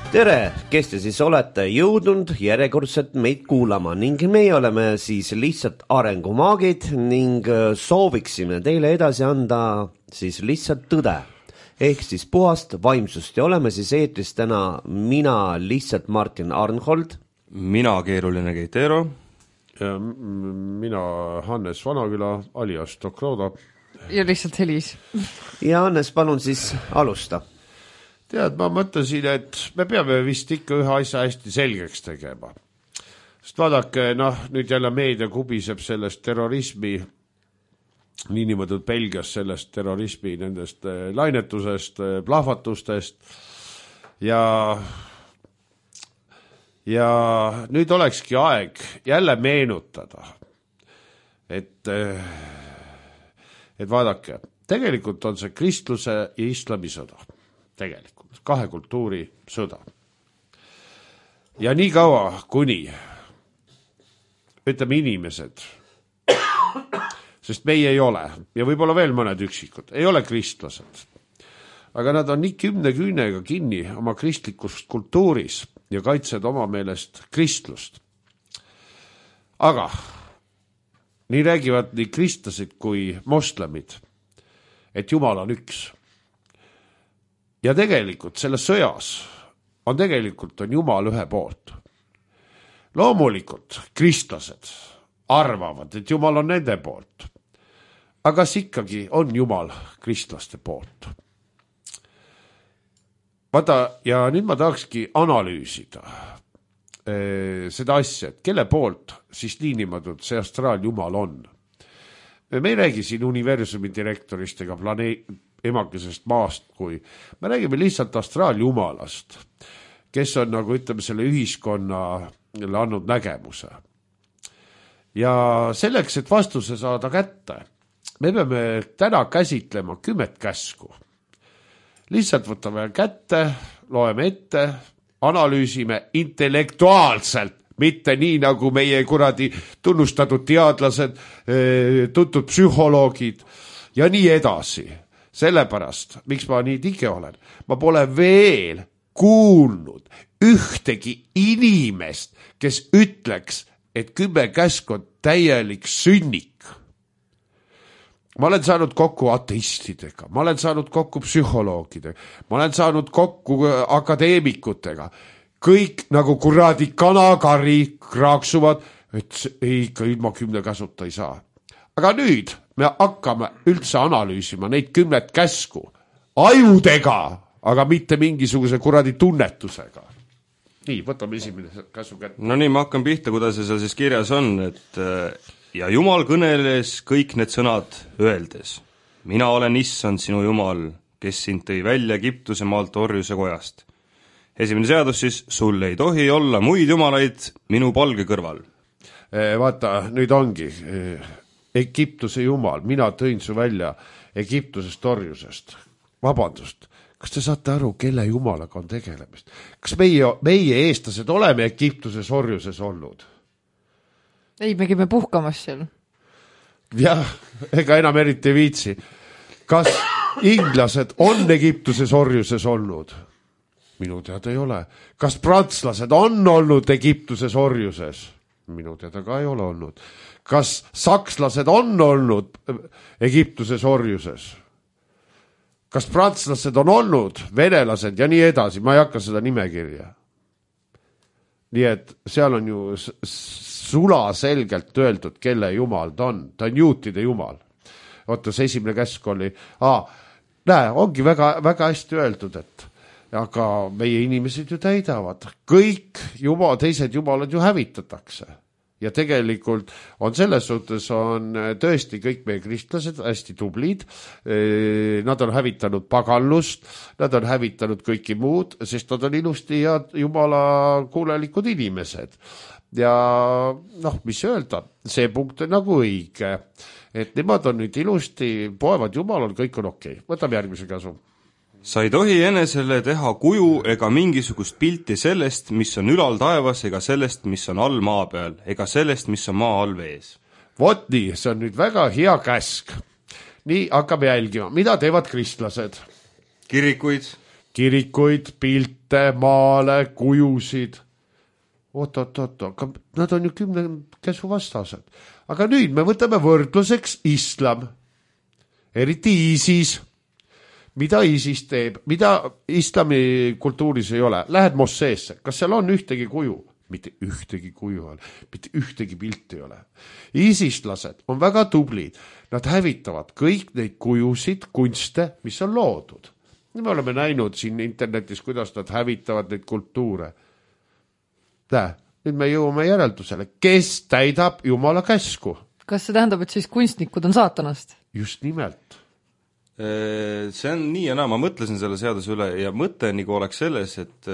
Tere, kes te siis olete jõudnud järjekordselt meid kuulama ning meie oleme siis lihtsalt arengumaagid ning sooviksime teile edasi anda siis lihtsalt tõde ehk siis puhast vaimsust ja oleme siis eetris täna mina lihtsalt Martin Arnhold, mina keeruline Keitero ja mina Hannes Vanaküla alias Dokroda ja lihtsalt Helis. Ja Hannes, palun siis alusta. Tead, ma mõtlesin, et me peame vist ikka ühe asja hästi selgeks tegema. Sest vaadake, nüüd jälle meedia kubiseb sellest terrorismi, niinimõtud Belgias sellest terrorismi, nendest lainetusest, plahvatustest ja nüüd olekski aeg jälle meenutada, et vaadake, tegelikult on see kristluse ja islami sõda. Tegelikult, kahe kultuuri sõda. Ja nii kaua, kuni ütleme inimesed, sest meie ei ole, ja võib-olla veel mõned üksikud, ei ole kristlased, aga nad on nii kümne küünega kinni oma kristlikus kultuuris ja kaitsed oma meelest kristlust. Aga nii räägivad nii kristlased kui moslemid, et Jumal on üks. Ja tegelikult selles sõjas on Jumal ühe poolt. Loomulikult kristlased arvavad, et Jumal on nende poolt. Aga kas ikkagi on Jumal kristlaste poolt? Vaata, ja nüüd ma tahakski analüüsida seda asja, et kelle poolt siis niinimatud see astraaljumal on. Me ei räägi siin universumi direktorist ega emakesest maast, kui me räägime lihtsalt astraaljumalast, kes on nagu ütleme selle ühiskonnale andnud nägemuse. Ja selleks, et vastuse saada kätte, me peame täna käsitlema 10 käsku. Lihtsalt võtame kätte, loeme ette, analüüsime intellektuaalselt, mitte nii nagu meie kuradi tunnustatud teadlased, tuntud psühholoogid ja nii edasi. Sellepärast, miks ma nii tige olen, ma pole veel kuulnud ühtegi inimest, kes ütleks, et 10 käsk on täielik sünnik. Ma olen saanud kokku ateistidega, ma olen saanud kokku psühholoogidega, ma olen saanud kokku akadeemikutega. Kõik nagu kuradi kanakari kraaksuvad, et ikka ilma 10 käsuta ei saa. Aga nüüd me hakkame üldse analüüsima neid 10 käsku ajudega, aga mitte mingisuguse kuradi tunnetusega. Nii, võtame esimene käsu kätte. No nii, ma hakkan pihta, kuidas see seal siis kirjas on, et ja Jumal kõneles kõik need sõnad öeldes. Mina olen issand sinu Jumal, kes sind tõi välja Egiptuse maalt orjuse kojast. Esimene seadus siis, sul ei tohi olla muid jumalaid minu palge kõrval. Vaata, nüüd ongi Egiptuse jumal, mina tõin su välja Egiptusest orjusest. Vabandust, kas te saate aru, kelle jumalaga on tegelemist? Kas meie eestlased oleme Egiptuses orjuses olnud? Ei, me käime puhkamas seal. Jah, ega enam eriti viitsi. Kas inglased on Egiptuses orjuses olnud? Minu teada ei ole. Kas prantslased on olnud Egiptuses orjuses? Minu teada ka ei ole olnud. Kas sakslased on olnud Egiptuses orjuses? Kas prantslased on olnud venelased ja nii edasi? Ma ei hakka seda nimekirja. Nii et seal on ju sula selgelt öeldud, kelle jumal ta on. Ta on juutide jumal. Oota, see esimene käsk oli. Näe, ongi väga, väga hästi öeldud, et aga meie inimesed ju täidavad. Kõik teised jumalad ju hävitatakse. Ja tegelikult on selles suhtes on tõesti kõik meie kristlased hästi tublid. Nad on hävitanud paganlust, nad on hävitanud kõiki muud, sest nad on ilusti ja jumala kuulelikud inimesed. Ja mis öelda, see punkt on nagu õige, et nemad on nüüd ilusti, poevad jumalal, kõik on okei. Võtame järgmise käsu. Sa ei tohi enesele teha kuju ega mingisugust pilti sellest, mis on ülal taevas, ega sellest, mis on all maa peal, ega sellest, mis on maa all vees. Vot nii, see on nüüd väga hea käsk. Nii hakkame jälgima, mida teevad kristlased? Kirikuid, kirikuid, pilte, maale, kujusid. Oot, aga nad on ju 10 käsu vastased. Aga nüüd me võtame võrdluseks islam, eriti ISIS. Mida ISIS teeb, mida islami kultuuris ei ole? Lähed mosseesse, kas seal on ühtegi kuju? Mitte ühtegi kuju ole, mitte ühtegi pilti ole. ISIS-lased on väga tublid, nad hävitavad kõik neid kujusid, kunste, mis on loodud. Me oleme näinud siin internetis, kuidas nad hävitavad neid kultuure. Nüüd me jõuame järeldusele, kes täidab Jumala käsku. Kas see tähendab, et siis kunstnikud on saatanast? Just nimelt. See on nii ja naa, ma mõtlesin selle seaduse üle ja mõte nagu oleks selles, et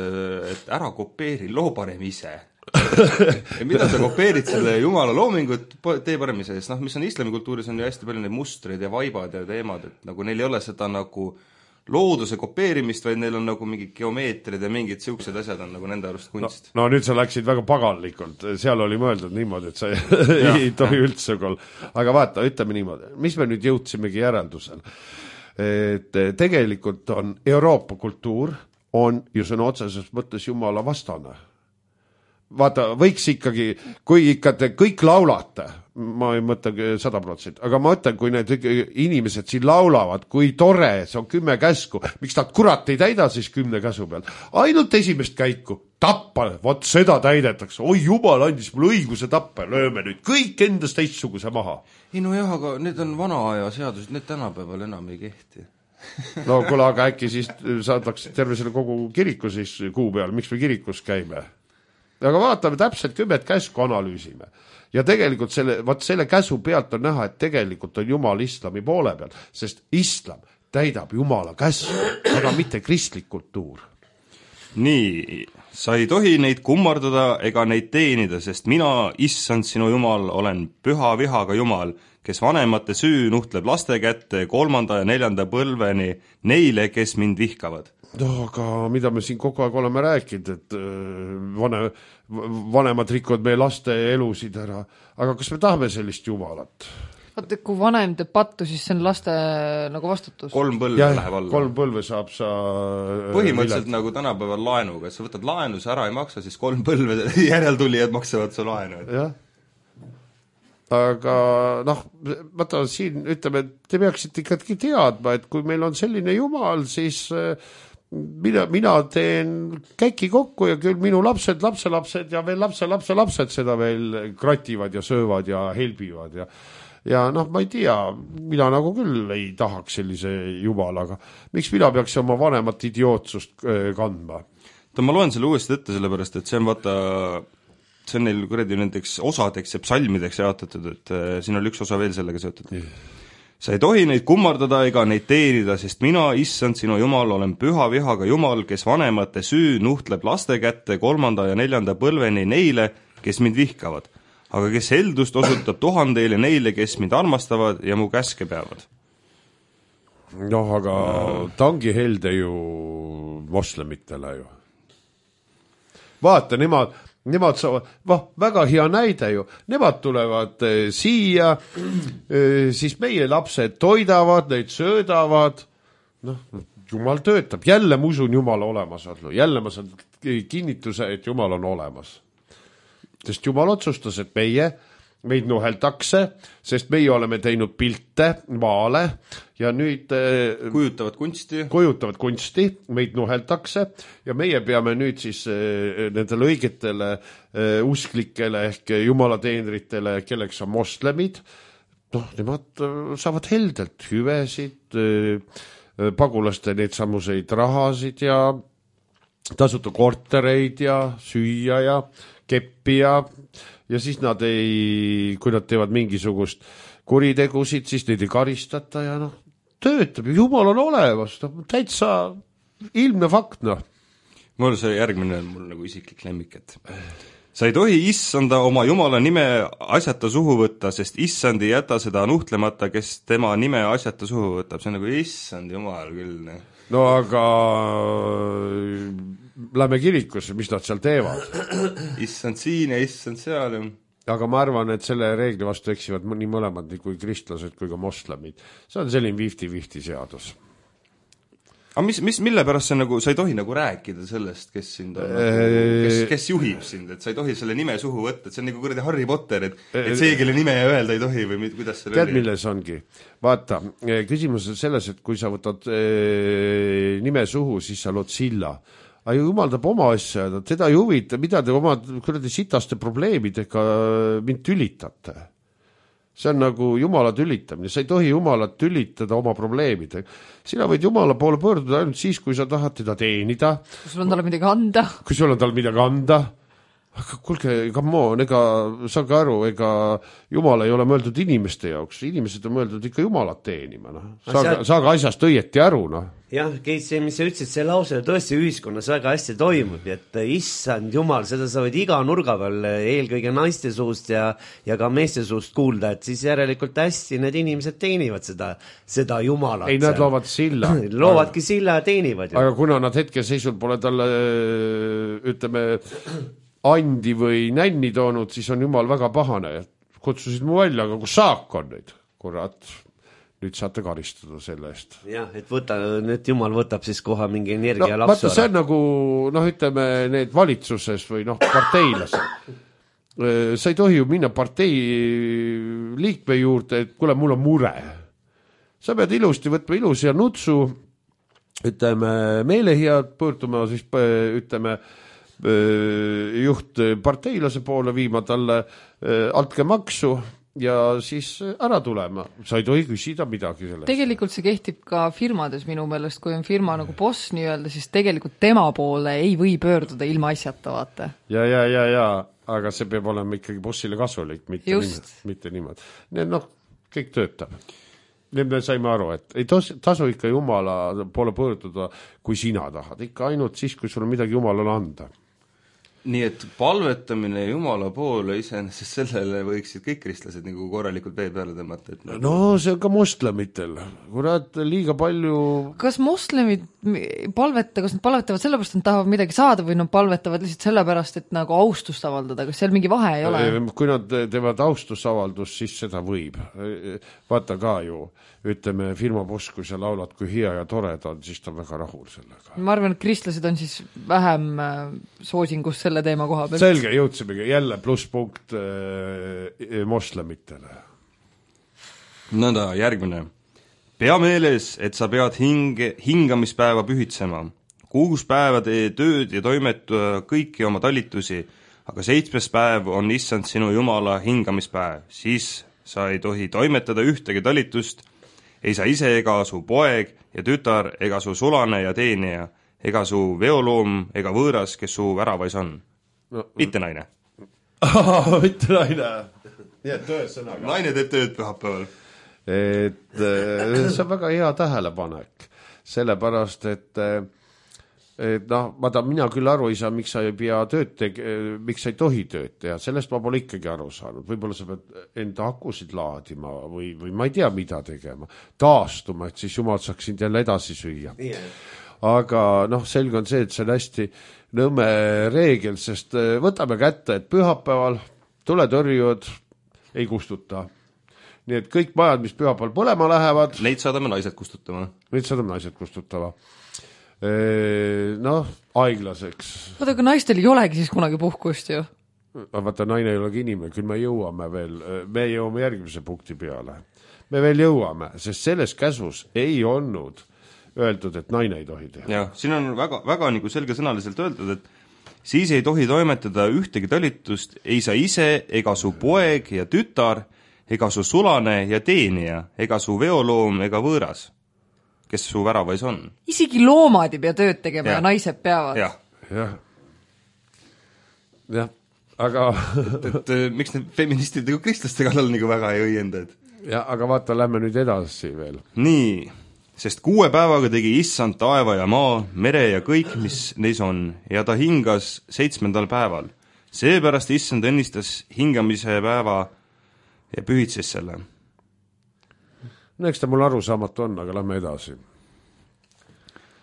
ära kopeeri, loo parem ise. Ja mida sa kopeerid selle Jumala loomingut, tee parem ise, sest mis on islami kultuuris on ju hästi palju neid mustreid ja vaibad ja teemad, et nagu neil ei ole seda nagu looduse kopeerimist, vaid neil on nagu mingid geomeetrid ja mingid siuksed asjad on nagu nende arust kunst. No nüüd sa läksid väga paganlikult, seal oli mõeldud niimoodi, et sa ei tohi üldse küll. Aga vaata, ütleme niimoodi, mis me nüüd jõudsimegi järeldusel, et tegelikult on Euroopa kultuur on ju sõna otseses mõttes Jumala vastane. Vaata, võiks ikkagi, kui ikka te kõik laulate, ma ei mõtle 100%, aga ma mõtlen, kui need inimesed siin laulavad, kui tore, see on 10 käsku, miks nad kurat ei täida siis 10 käsu peal? Ainult esimest käiku, tappa, vot seda täidetakse, oi Jumal andis mulle õiguse tappa, lööme nüüd kõik endast teistsuguse maha. Ei no jah, aga need on vana aja seadused, need tänapäeval enam ei kehti. No kuule, aga äkki siis saadaks terve selle kogu kiriku siis kuu peal, miks me kirikus käime? Aga vaatame täpselt 10 käsku analüüsime. Ja tegelikult selle käsu pealt on näha, et tegelikult on Jumal islami poole peal, sest islam täidab Jumala käsu, aga mitte kristlik kultuur. Nii, sa ei tohi neid kummardada ega neid teenida, sest mina, issand sinu Jumal, olen püha vihaga Jumal, kes vanemate süü nuhtleb laste kätte 3. ja 4. põlveni neile, kes mind vihkavad. No, aga mida me siin kogu aeg oleme rääkinud, et vanemad rikuvad meie laste elusid ära, aga kas me tahame sellist Jumalat? Vaata, kui vanem teeb pattu, siis see on laste nagu vastutus. 3 põlve läheb alla. 3 põlve saab sa põhimõtteliselt nagu tänapäeval laenuga, et sa võtad laenu, sa ära ei maksa, siis 3 põlve järeltulijad maksavad su laenu. Jah. Aga vaata siin ütleme, te peaksite ikkagi teadma, et kui meil on selline Jumal, siis mina teen käki kokku ja küll minu lapsed ja veel lapsed seda veel krativad ja söövad ja helbivad ja ma ei tea, mina nagu küll ei tahaks sellise Jumalaga. Miks mina peaks oma vanemat idiootsust kandma? Ma loen selle uuesti ette sellepärast, et see on neil kuradi nendeks osadeks ja psalmideks jaotatud, et siin oli üks osa veel sellega seotud. Sa ei tohi neid kummardada ega neid teenida, sest mina, issand sinu Jumal, olen püha vihaga Jumal, kes vanemate süü nuhtleb laste kätte 3. ja 4. põlveni neile, kes mind vihkavad, aga kes heldust osutab 1000 neile, kes mind armastavad ja mu käske peavad. Aga ta ongi helde ju moslemitele ju. Vaata, nemad saavad, väga hea näide ju, nemad tulevad siia, siis meie lapsed toidavad, neid söödavad, Jumal töötab, jälle ma usun Jumala olemasolu, jälle ma saan kinnituse, et Jumal on olemas. Sest Jumal otsustas, et meid nuheldakse, sest meie oleme teinud pilte maale ja nüüd kujutavad kunsti, meid nuheldakse ja meie peame nüüd siis nendele õigetele usklikele ehk jumalateenritele, kelleks on moslemid, nemad saavad heldelt hüvesid, pagulaste neid samuseid rahasid ja tasuta kortereid ja süüa ja keppi ja siis nad kui nad teevad mingisugust kuritegusid, siis neid ei karistata ja töötab, Jumal on olemas, täitsa ilmne fakt, Mul see järgmine on mul nagu isiklik lemmik, et sa ei tohi issanda oma Jumala nime asjata suhu võtta, sest issand ei jäta seda nuhtlemata, kes tema nime asjata suhu võtab, see on nagu issand Jumal küll, No aga lähme kirikusse, mis nad seal teevad? Issand siin ja issand seal. Aga ma arvan, et selle reegli vastu eksivad nii mõlemad, nii kui kristlased kui ka moslemid. See on selline 50-50 seadus. aga mille pärast sa ei tohi nagu rääkida sellest, kes sind on kes juhib sind, et sa ei tohi selle nime suhu võtta, et see on nagu kuradi Harry Potter, et see, kelle nime öelda ei tohi või kuidas selle tead, milles ongi? Vaata, küsimus on selles, et kui sa võtad nime suhu, siis sa lood silla. Aga jumaldab oma asja, teda ei huvita, mida te oma kuradi sitaste probleemidega mind tülitate. See on nagu Jumala tülitamine, sa ei tohi Jumalat tülitada oma probleemidega. Sina võid Jumala poole pöörduda ainult siis, kui sa tahad teda teenida. Kui sul on talle midagi anda. Kui sul on talle midagi anda. Aga kuulge, come on, ega saage aru, ega Jumal ei ole mõeldud inimeste jaoks. Inimesed on mõeldud ikka Jumalat teenima. No. Saage asjast õieti aru. No. Jah, see, mis sa ütlesid, see lause tõesti ühiskonnas väga hästi toimub, et issand Jumal, seda sa võid iga nurga peal, eelkõige naiste suust ja ka meeste suust kuulda, et siis järelikult hästi need inimesed teenivad seda Jumalat. Ei, nad loovad silla. Loovadki silla ja teenivad. Aga kuna nad hetkeseisul pole talle, ütleme, andi või nänni toonud, siis on Jumal väga pahane. Kutsusid mu välja, aga kus saak on neid? Kurat, nüüd saate karistada selle eest. Jah, et nüüd Jumal võtab siis kohe mingi energia lapsu. Vaata, see on nagu, ütleme, need valitsuses või parteilased. Sa ei tohi ju minna partei liikme juurde, et kuule, mul on mure. Sa pead ilusti võtma ilusi ja nutsu, ütleme, meelehead pöörduma, siis ütleme, juht parteilase poole viima talle altkäemaksu ja siis ära tulema. Sa ei tohi küsida midagi sellest. Tegelikult see kehtib ka firmades minu meelest, kui on firma nagu boss nii-öelda, siis tegelikult tema poole ei või pöörduda ilma asjata, vaata. Ja, aga see peab olema ikkagi bossile kasulik, mitte niimoodi. Need kõik töötab. Need me saime aru, et ei tasu ikka Jumala poole pöörduda, kui sina tahad. Ikka ainult siis, kui sul on midagi Jumalale anda. Nii et palvetamine Jumala poole iseenesest sellele võiksid kõik kristlased nagu korralikult vee peale tõmmata. No see on ka moslemitel. Kurat, liiga palju... Kas moslemid kas nad palvetavad sellepärast, et nad tahavad midagi saada või nad palvetavad lihtsalt sellepärast, et nagu austust avaldada? Kas seal mingi vahe ei ole? Kui nad teevad austusavaldust, siis seda võib. Vaata ka ju, ütleme, firma boss, kui sa laulad, kui hea ja tore ta on, siis ta on väga rahul sellega. Ma arvan, et kristlased on siis vähem soosingus selle teema koha pealt. Selge, jõudsimegi jälle plusspunkt moslemitele. Nõnda, järgmine. Pea meeles, et sa pead hingamispäeva pühitsema. 6 päeva tee tööd ja toimetua kõiki oma talitusi, aga 7. päev on issand sinu Jumala hingamispäev. Siis sa ei tohi toimetada ühtegi talitust, ei sa ise ega su poeg ja tütar ega su sulane ja teenija, ega su veoloom ega võõras, kes su väravais on. Mitte naine. Mitte naine. Nii, et tõesõnaga. Naine teeb tööd pühapäeval. See on väga hea tähelepanek. Sellepärast, et mina küll aru ei saa, miks sa ei pea miks sa ei tohi tööd teha. Sellest ma pole ikkagi aru saanud. Võib-olla sa pead enda akusid laadima või ma ei tea, mida tegema. Taastuma, et siis Jumal saaks sind jälle edasi süüa. Aga selge on see, et see on hästi nõme reegel, sest võtame kätte, et pühapäeval tuletõrjud ei kustuta. Nii et kõik majad, mis pühapäeval põlema lähevad... Neid saadame naised kustutama. Aeglaseks. Vaata, aga naistel ei olegi siis kunagi puhkust ju. Vaata, naine ei olegi inimene, küll me jõuame veel, me jõuame järgmise punkti peale. Me veel jõuame, sest selles käsus ei olnud öeldud, et naine ei tohi teha. Ja, siin on väga, väga nagu selgesõnaliselt öeldud, et siis ei tohi toimetada ühtegi talitust, ei sa ise ega su poeg ja tütar, ega su sulane ja teenija, ega su veoloom ega võõras, kes su väravais on. Isegi loomad ei pea tööd tegema ja naised peavad. Jah, aga... et miks need feministid nagu kristlaste kallal nagu väga ei õienda? Ja, aga vaata, lähme nüüd edasi veel. Nii, sest 6 päevaga tegi issand taeva ja maa, mere ja kõik, mis neis on, ja ta hingas 7. päeval. Seepärast issand õnnistas hingamise päeva ja pühitses selle. No eks ta mul arusaamatu on, aga lähme edasi.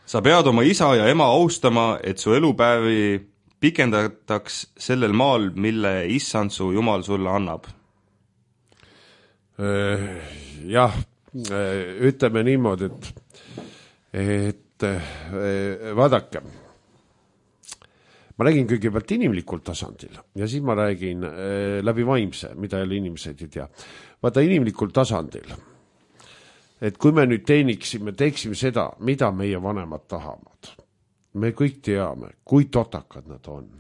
Sa pead oma isa ja ema austama, et su elupäevi pikendataks sellel maal, mille issand su Jumal sulle annab. Jah, ütleme niimoodi, et et vaadake, ma räägin kõigepealt inimlikul tasandil ja siis ma räägin läbi vaimse, mida jälle inimesed ei tea. Vaata inimlikul tasandil, et kui me nüüd teeksime seda, mida meie vanemad tahavad. Me kõik teame, kui totakad nad on.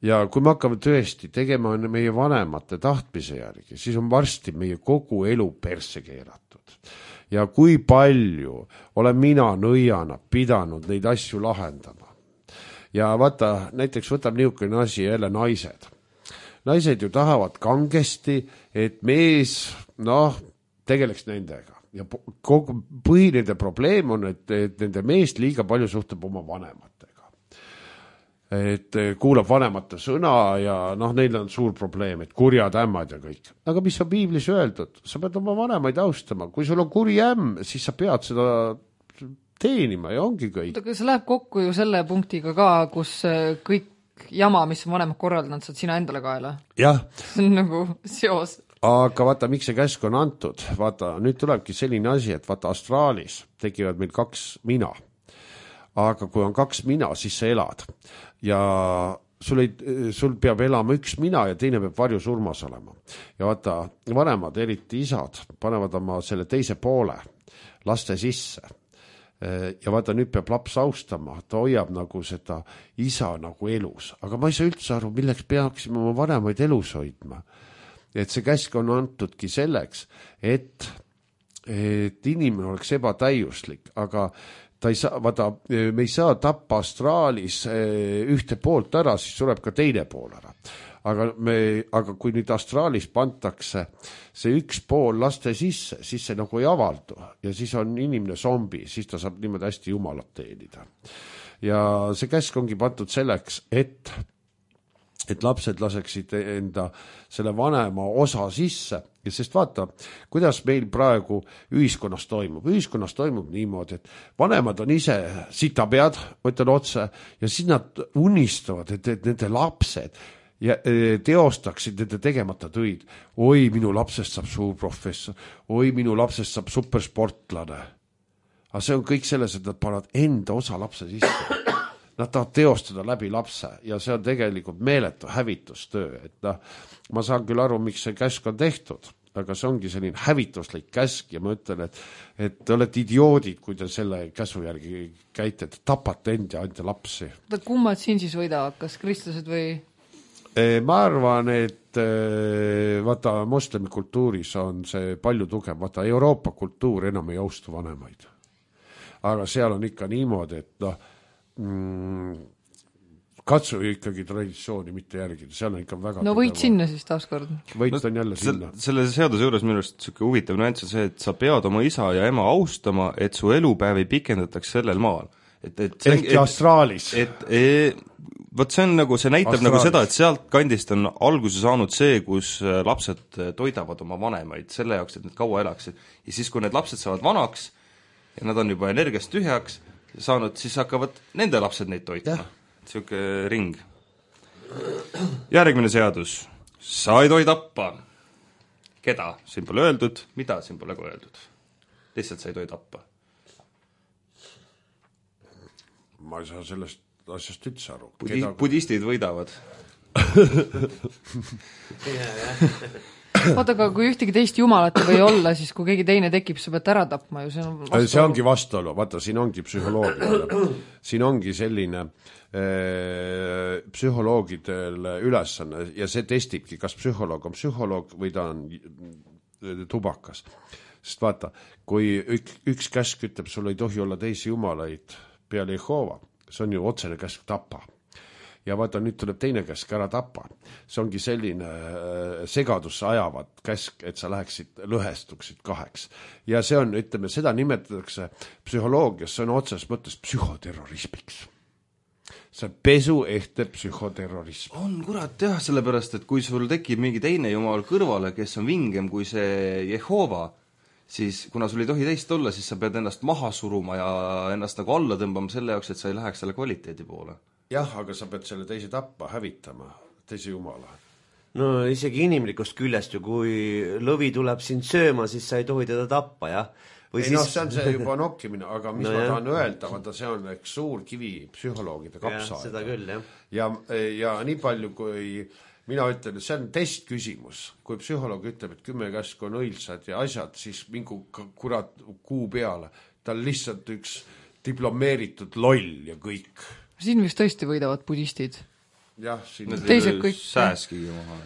Ja kui me hakkame tõesti tegema meie vanemate tahtmise järgi, siis on varsti meie kogu elu persse keeratud. Ja kui palju olen mina nõiana pidanud neid asju lahendama. Ja vaata, näiteks võtab niisugune asi jälle naised. Naised ju tahavad kangesti, et mees, tegeleks nendega. Ja kogu põhiline probleem on, et nende meest liiga palju suhtleb oma vanematega. Et kuulab vanemate sõna ja neil on suur probleem, et kurjad ämmad ja kõik. Aga mis on piiblis öeldud? Sa pead oma vanemaid austama. Kui sul on kuri ämm, siis sa pead seda teenima ja ongi kõik. Aga see läheb kokku ju selle punktiga ka, kus kõik jama, mis on vanemad korraldanud, saad sina endale kaela. Jah. See on nagu seos. Aga vaata, miks see käsk on antud? Vaata, nüüd tulebki selline asi, et vaata, astraalis tekivad meil 2 mina. Aga kui on 2 mina, siis sa elad. Ja sul peab elama 1 mina ja teine peab varjusurmas olema. Ja vaata, vanemad, eriti isad, panevad oma selle teise poole laste sisse. Ja vaata, nüüd peab laps austama, ta hoiab nagu seda isa nagu elus. Aga ma ei saa üldse aru, milleks peaksime oma vanemaid elus hoidma. Et see käsk on antudki selleks, et inimene oleks ebatäiuslik, aga ta ei saa, vaata, me ei saa tappa astraalis ühte poolt ära, siis tuleb ka teine pool ära. Aga kui nüüd astraalis pantakse see 1 pool laste sisse, siis see nagu ei avaldu ja siis on inimene zombi, siis ta saab niimoodi hästi jumalat teenida. Ja see käsk ongi pandud selleks, et lapsed laseksid enda selle vanema osa sisse. Ja sest vaata, kuidas meil praegu ühiskonnas toimub. Ühiskonnas toimub niimoodi, et vanemad on ise sitapead, ma ütlen otse, ja siis nad unistavad, et nende lapsed teostaksid nende tegemata töid. Oi, minu lapsest saab suur professor. Oi, minu lapsest saab supersportlane. Aga see on kõik selles, et nad panevad enda osa lapse sisse. Nad tahavad teostada läbi lapse ja see on tegelikult meeletu hävitustöö. Et ma saan küll aru, miks see käsk on tehtud, aga see ongi selline hävituslik käsk ja ma ütlen, et te olete idioodid, kui te selle käsu järgi käite, et tapate end ja anda lapsi. Kummad siin siis võidavad, kas kristlased või? Ma arvan, et vaata, moslemi kultuuris on see palju tugev. Vaata, Euroopa kultuur enam ei austu vanemaid. Aga seal on ikka niimoodi, et katsu ikkagi traditsiooni mitte järgida, seal on ikka väga võit sinna siis taaskord. Võit on jälle sinna. Selle seaduse juures minu arust selline huvitav nüanss on see, et sa pead oma isa ja ema austama, et su elupäevi pikendataks sellel maal. Ehk astraalis. Vot see on nagu, see näitab astraalis. Nagu seda, et sealt kandist on alguse saanud see, kus lapsed toidavad oma vanemaid selle jaoks, et need kaua elaksid. Ja siis, kui need lapsed saavad vanaks ja nad on juba energiast tühjaks saanud, siis hakkavad nende lapsed neid toitma. Siuke ring. Järgmine seadus. Sa ei tohi tappa. Keda? Siin pole öeldud. Mida? Siin pole ka öeldud. Lihtsalt sa ei tohi tappa. Ma ei saa sellest asjast üldse aru. Budistid võidavad. Oota, aga kui ühtegi teist jumalat ei või olla, siis kui keegi teine tekib, sa pead ära tapma ju, see ongi vastuolu, vaata, siin ongi psühholoogia. Siin ongi selline psühholoogidel ülesanne ja see testibki, kas psühholoog on psühholoog või ta on tubakas. Sest vaata, kui üks käsk ütleb, sul ei tohi olla teisi jumalaid peale Jehova, see on ju otsene käsk tapa. Ja vaata, nüüd tuleb teine käsk ära tapa. See ongi selline segadusse ajavat käsk, et sa lõhestuksid 2. Ja see on, ütleme, seda nimetatakse psühholoogias, see on otses mõttes psühhoterrorismiks. See on pesuehte psühhoterrorism. On kurat jah, sellepärast, et kui sul tekib mingi teine jumal kõrvale, kes on vingem kui see Jehova, siis kuna sul ei tohi teist olla, siis sa pead ennast maha suruma ja ennast nagu alla tõmbama selle jaoks, et sa ei läheks selle kvaliteedi poole. Jah, aga sa pead selle teise tappa, hävitama, teise jumala. No isegi inimlikust küljest ju, kui lõvi tuleb sind sööma, siis sa ei tohi teda tappa, jah. või ei siis see on see juba nokkimine, aga mis No ma jah. tahan öelda, vaata see on üks suur kivi psühholoogide kapsaaeda. seda küll, jah. Ja nii palju, kui mina ütlen, et see on testküsimus. Kui psühholoog ütleb, et 10 käsku on õilsad ja asjad, siis mingu kurat kuu peale. Ta on lihtsalt üks diplomeeritud loll ja kõik. Siin vist tõesti võidavad budistid. Jah, siin Teised kõik- sääskigi maha.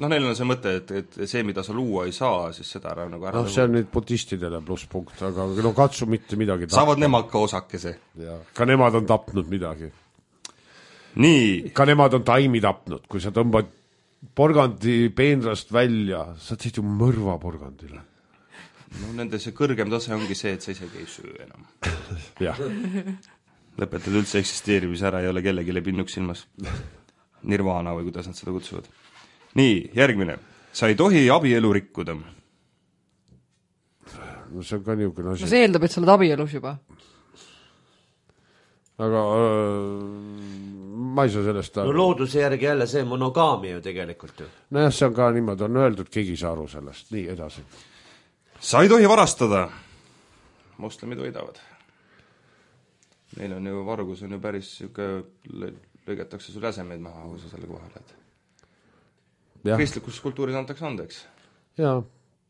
No neil on see mõte, et see, mida sa luua ei saa, siis seda ära nagu ära see on nüüd budistidele plusspunkt, aga no katsu mitte midagi saavad nemad ka osakese. Ja, ka nemad on tapnud midagi. Nii, Ka nemad on taimi tapnud, kui sa tõmbad porgandi peenrast välja, sa teed ju mõrva porgandile. no nende see kõrgem tase ongi see, et sa isegi ei söö enam. Jah, Lõpetad üldse eksisteerimise ära, ei ole kellelegi pinnuks silmas. Nirvana või kuidas nad seda kutsuvad. Nii, järgmine. Sa ei tohi abielu rikkuda. no see on ka niisugune asi. No see eeldab, et sa oled abielus juba. Aga ma ei saa sellest no aru. looduse järgi jälle see monogaamia ju tegelikult ju. Nojah, see on ka niimoodi, on öeldud, keegi ei saa aru sellest. Nii, edasi. Sa ei tohi varastada. Moslemid võidavad. Neil on ju vargus on ju päris siuke, lõigatakse sul jäsemeid maha, kui sa selle koha lähed. Jah, Kristlikus kultuuris antakse andeks.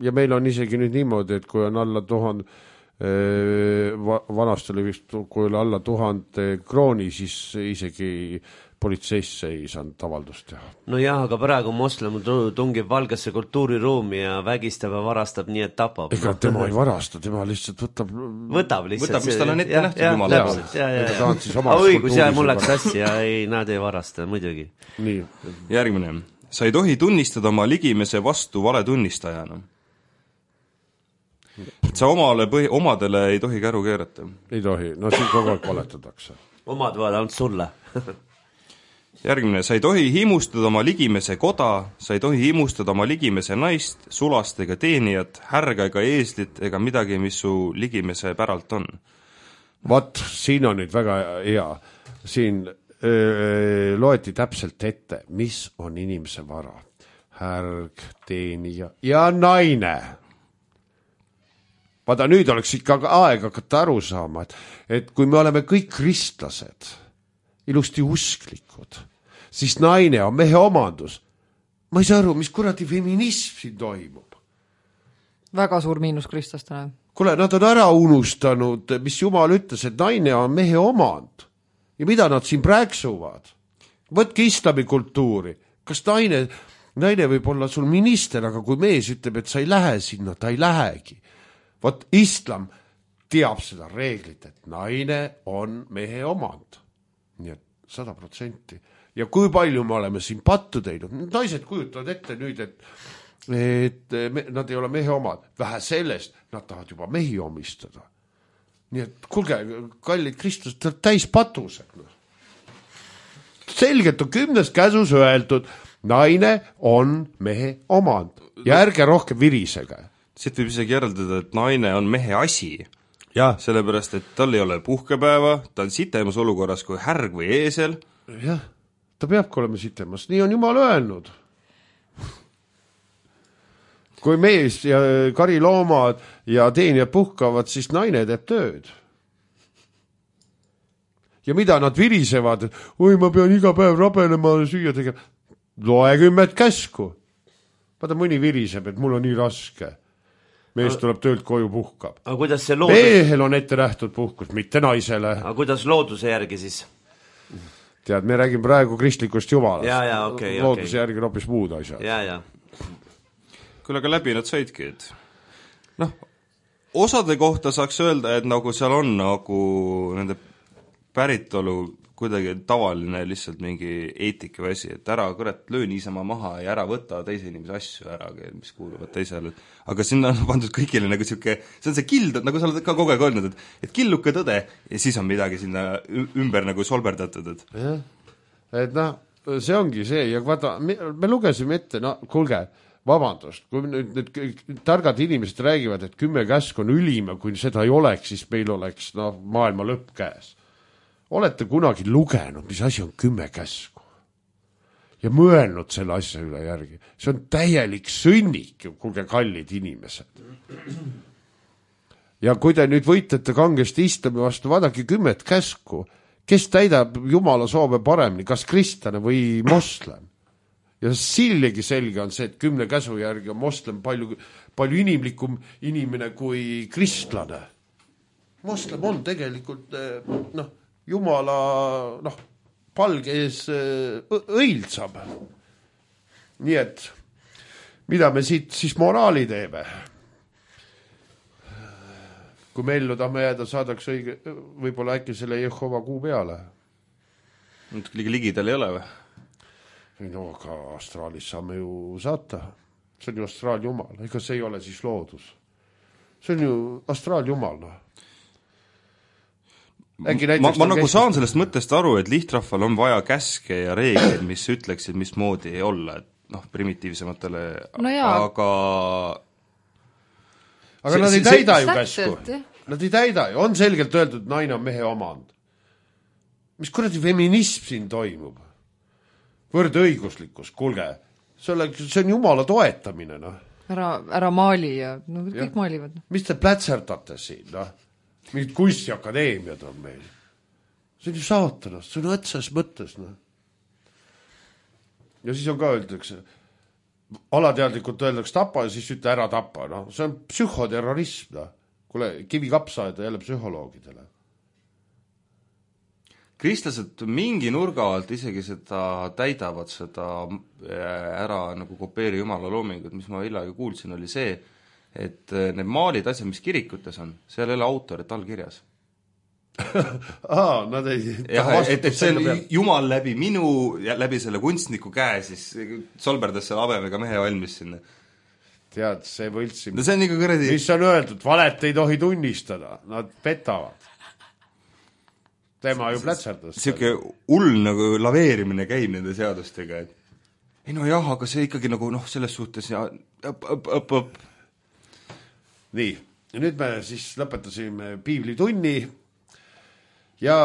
ja meil on isegi nüüd niimoodi, et kui on alla 1000, vanast oli vist, kui oli alla 1000 krooni, siis isegi politseisse ei saanud avaldust teha. nojah, aga praegu moslem tungib valgesse kultuuriruumi ja vägistab ja varastab nii, et tapab. Ega tema ei varasta, tema lihtsalt võtab lihtsalt. Võtab, mis tal on ette nähtud jumala poolt. Ega ta on siis omast õigus, ja kultuuris mul ei läks sassi ja ei, nad ei varasta, muidugi. nii, Järgmine. Sa ei tohi tunnistada oma ligimese vastu valetunnistajana. Et sa omadele ei tohi käru keerata. ei tohi, no siin kogu aeg valetatakse. Omad võivad ainult sulle. Järgmine. Sa ei tohi himustada oma ligimese koda, sa ei tohi himustada oma ligimese naist, sulast ega teenijat, härga ega eeslit ega midagi, mis su ligimese päralt on. Vat, siin on nüüd väga hea. Siin loeti täpselt ette, mis on inimese vara. Härg, teenija ja naine. Vaata, nüüd oleks ikka aeg hakata aru saama, et kui me oleme kõik kristlased, ilusti usklikud, siis naine on mehe omandus. Ma ei saa aru, mis kuradi feminism siin toimub. Väga suur miinus kristlastele. Kuule, nad on ära unustanud, mis Jumal ütles, et naine on mehe omand. Ja mida nad siin praeksuvad? Võtke islami kultuuri. Kas naine võib olla sul minister, aga kui mees ütleb, et sa ei lähe sinna, ta ei lähegi. Vot islam teab seda reeglit, et naine on mehe omand. Nii et 100%. Ja kui palju me oleme siin pattu teinud? Naised kujutavad ette nüüd, et nad ei ole mehe omad. Vähe sellest, nad tahavad juba mehi omistada. Nii et kuulge, kallid Kristus, täis patused. Selgelt on 10. käsus öeldud, naine on mehe omand. Ja ärge rohkem virisege. Siit võib isegi järeldada, et naine on mehe asi. Jah, Sellepärast, et tal ei ole puhkepäeva, ta on sitemas olukorras kui härg või eesel. jah, ta peabki olema sitemas, nii on Jumal öelnud. Kui mees ja kariloomad ja teenijad puhkavad, siis naine teeb tööd. Ja mida nad virisevad, oi, ma pean iga päev rabenema süüa tegema. Loe 10 käsku. Vaata, mõni viriseb, et mul on nii raske. Mees tuleb töölt koju, puhkab. Aga kuidas see Mehel on ette nähtud puhkus, mitte naisele. Aga kuidas looduse järgi siis? Tead, me räägime praegu kristlikust Jumalast. Ja, okei. Looduse järgi on hoopis muud asjad. Ja. Küll aga läbi nad saidki, et osade kohta saaks öelda, et nagu seal on nagu nende päritolu kuidagi tavaline lihtsalt mingi eetika või asi, et ära kurat löö niisama maha ja ära võta teise inimese asju ära, mis kuuluvad teisele. Aga sinna on pandud kõigile nagu siuke, see on see kild, nagu sa oled ka kogu aeg öelnud, et killuke tõde ja siis on midagi sinna ümber nagu solberdatud. Et see ongi see ja vaata, me lugesime ette, kuulge, vabandust, kui nüüd targad inimesed räägivad, et 10 käsku on ülima, kui seda ei oleks, siis meil oleks maailma lõpp käes. Olete kunagi lugenud, mis asi on 10 käsku? ja mõelnud selle asja üle järgi. See on täielik sõnnik, kuulge kallid inimesed. Ja kui te nüüd võitlete kangesti islami vastu, vaadake 10 käsku, kes täidab Jumala soove paremini, kas kristlane või moslem. Ja sillegi selge on see, et 10 käsu järgi on moslem palju inimlikum inimene kui kristlane. Moslem on tegelikult Jumala palge ees õildsam. Nii et mida me siit siis moraali teeme? Kui me ellu tahame jääda, saadaks õige, võib-olla äkki selle Jehova kuu peale. Ligi tal ei ole või? No aga astraalis saame ju saata. See on ju astraaljumal. Ega see ei ole siis loodus. See on ju astraaljumal. Ma nagu saan sellest mõttest aru, et lihtrahval on vaja käske ja reegleid, mis ütleksid, mismoodi ei olla. Et primitiivsematele, aga nad ei täida ju käsku. Nad ei täida ju. On selgelt öeldud, et naine on mehe omand. Mis kuradi feminism siin toimub? Võrdõiguslikkus, kuulge. See on Jumala toetamine. Ära maali ja kõik maalivad. Mis te plätserdate siin? Mingid kunstiakadeemiad on meil. See on ju saatanast, see on õtsas mõttes. Ja siis on ka öeldakse, alateadlikult öeldakse tapa ja siis ütle ära tapa. See on psühhoterrorism. Kuule, kivi kapsaeda jälle psühholoogidele. Kristlased mingi nurga alt isegi seda täidavad, seda ära nagu kopeeri Jumala loomingut, mis ma hiljaga kuulsin, oli see, et need maalid asjad, mis kirikutes on, seal ei ole autorit allkirjas. Nad ei et see on Jumal läbi minu ja läbi selle kunstniku käe siis solberdas selle habemega mehe valmis sinna. Tead, see võltsim. No see on ikka kõredi. Mis on öeldud, valet ei tohi tunnistada, nad petavad. Tema ju plätserdas. Siuke hull nagu laveerimine käib nende seadustega, et ei no jah, aga see ikkagi nagu selles suhtes ja õpp. Nii, ja nüüd me siis lõpetasime piiblitunni ja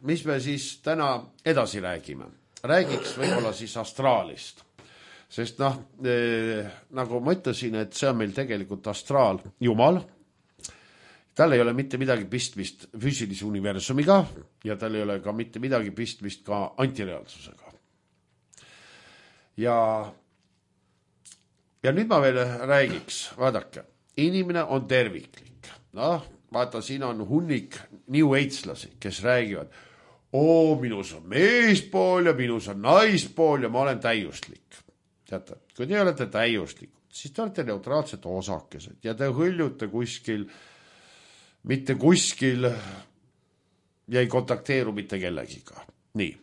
mis me siis täna edasi räägime? Räägiks võib-olla siis astraalist. Sest nagu ma ütlesin, et see on meil tegelikult astraal Jumal. Tal ei ole mitte midagi pistmist füüsilise universumiga ja tal ei ole ka mitte midagi pistmist ka antireaalsusega. Ja nüüd ma veel räägiks, vaadake, inimene on terviklik. Vaata, siin on hunnik New Age'lasi, kes räägivad, minus on meespool ja minus on naispool ja ma olen täiuslik. Teate, kui te olete täiuslikud, siis te olete neutraalsed osakesed ja te hõljute kuskil, mitte kuskil ja ei kontakteeru mitte kellegiga. Nii.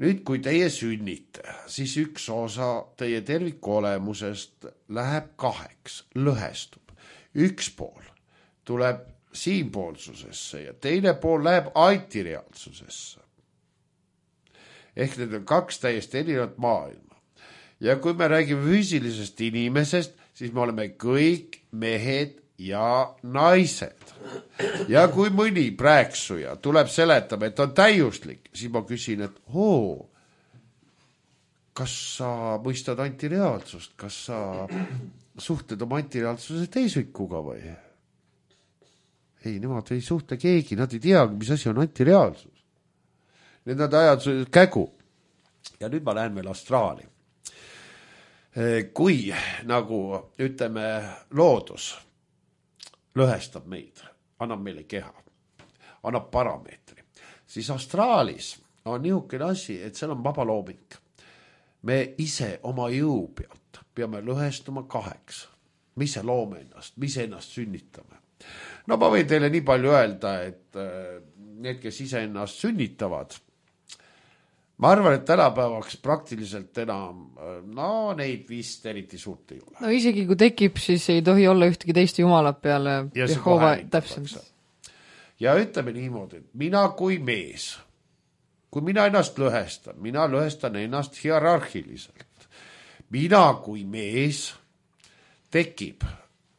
Nüüd, kui teie sünnite, siis üks osa teie terviku olemusest läheb 2, lõhestub. Üks pool tuleb siinpoolsusesse ja teine pool läheb antireaalsusesse. Ehk need on 2 täiesti erinevat maailma. Ja kui me räägime füüsilisest inimesest, siis me oleme kõik mehed ja naised. Ja kui mõni prääksuja tuleb seletama, et on täiuslik, siis ma küsin, et kas sa mõistad antireaalsust, kas sa suhtled oma antireaalsuse teisikuga või? Ei, nemad ei suhtle keegi, nad ei teagi, mis asi on antireaalsus. Need nad ajad kägu. Ja nüüd ma lähen veel astraali. Kui nagu ütleme loodus lõhestab meid, annab meile keha, annab parameetri, siis astraalis on niisugune asi, et seal on vaba looming. Me ise oma jõu pealt peame lõhestuma 2. Mis see loome ennast, mis ennast sünnitame. No ma võin teile nii palju öelda, et need, kes ise ennast sünnitavad, ma arvan, et tänapäevaks praktiliselt enam, neid vist eriti suurt ei ole. No isegi kui tekib, siis ei tohi olla ühtegi teist jumalat peale Jehova täpselt. Ja ütleme niimoodi, et mina kui mees, kui mina ennast lõhestan, mina lõhestan ennast hierarhiliselt. Mina kui mees tekib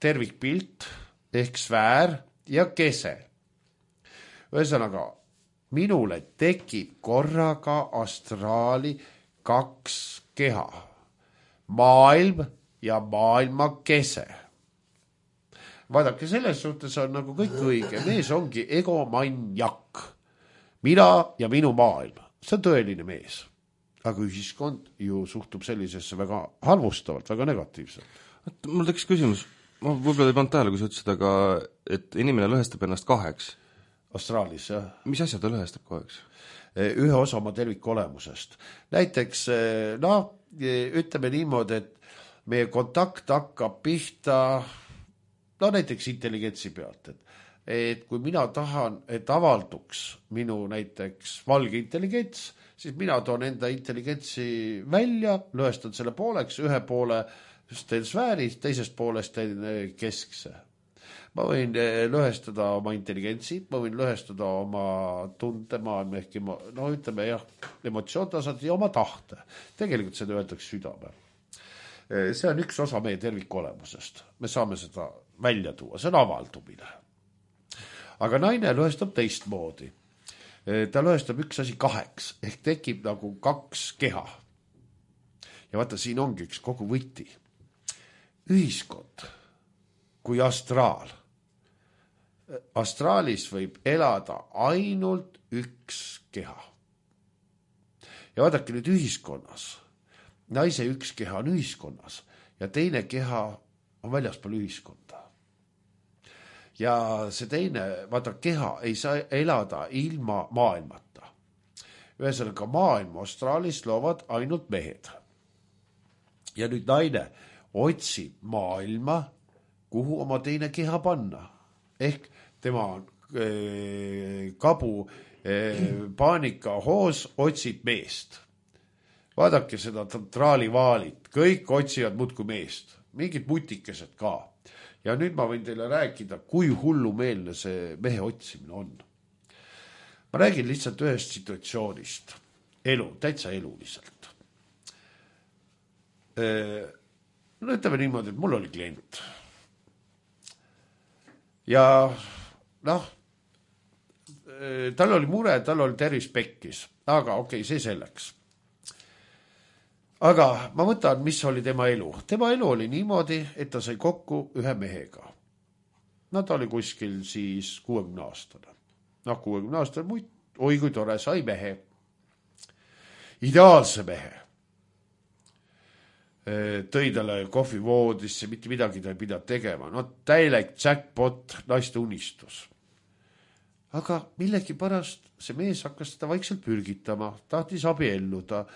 tervikpilt ehk sfäär ja kese. Ühesõnaga, minule tekib korraga astraali 2 keha. Maailm ja maailma kese. Vaadake, selles suhtes on nagu kõik õige. Mees ongi egomanjak. Mina ja minu maailm. See on tõeline mees. Aga ühiskond ju suhtub sellisesse väga halvustavalt, väga negatiivselt. Mul tekkis küsimus, ma võib-olla ei pannud tähele, kui sa ütlesid, aga et inimene lõhestab ennast 2. Astraalis, jah. Mis asja ta lõhestab 2? Ühe osa oma tervikolemusest. Näiteks, ütleme niimoodi, et meie kontakt hakkab pihta, näiteks intelligentsi pealt, et kui mina tahan, et avalduks minu näiteks valge intelligents, siis mina toon enda intelligentsi välja, lõhestan selle pooleks, ühe poole teen sfääris, teisest poolest teen keskse. Ma võin lõhestada oma intelligentsi, ma võin lõhestada oma tundemaailma ehk ütleme jah, emotsioontasand ja oma tahte. Tegelikult seda öeldakse südame. See on üks osa meie tervikolemusest. Me saame seda välja tuua, see on avaldumine. Aga naine lõhestab teistmoodi. Ta lõhestab üks asi 2, ehk tekib nagu 2 keha. Ja vaata, siin ongi üks kogu võti. Ühiskond kui astraal. Astraalis võib elada ainult 1 keha. Ja vaadake nüüd ühiskonnas. Naise 1 keha on ühiskonnas ja teine keha on väljaspool ühiskonda. Ja see teine, vaata, keha ei saa elada ilma maailmata. Ühesõnaga maailma astraalis loovad ainult mehed. Ja nüüd naine otsib maailma, kuhu oma teine keha panna. Ehk tema kabu paanika hoos otsib meest. Vaadake seda traalivaalit, kõik otsivad muudkui meest, mingid mutikesed ka. Ja nüüd ma võin teile rääkida, kui hullumeelne see mehe otsimine on. Ma räägin lihtsalt ühest situatsioonist. Elu, täitsa eluliselt. Ütleme niimoodi, et mul oli klient. Ja tal oli mure, tal oli tervis pekkis. Aga okei, see selleks. Aga ma võtan, mis oli tema elu. Tema elu oli niimoodi, et ta sai kokku ühe mehega. Ta oli kuskil siis 60-aastane. 60-aastane, oi kui tore, sai mehe. Ideaalse mehe. Tõi talle kohvivoodisse, mitte midagi ta ei pidanud tegema. Täielik jackpot, naiste unistus. Aga millegi pärast see mees hakkas seda vaikselt pürgitama, tahtis abielluda.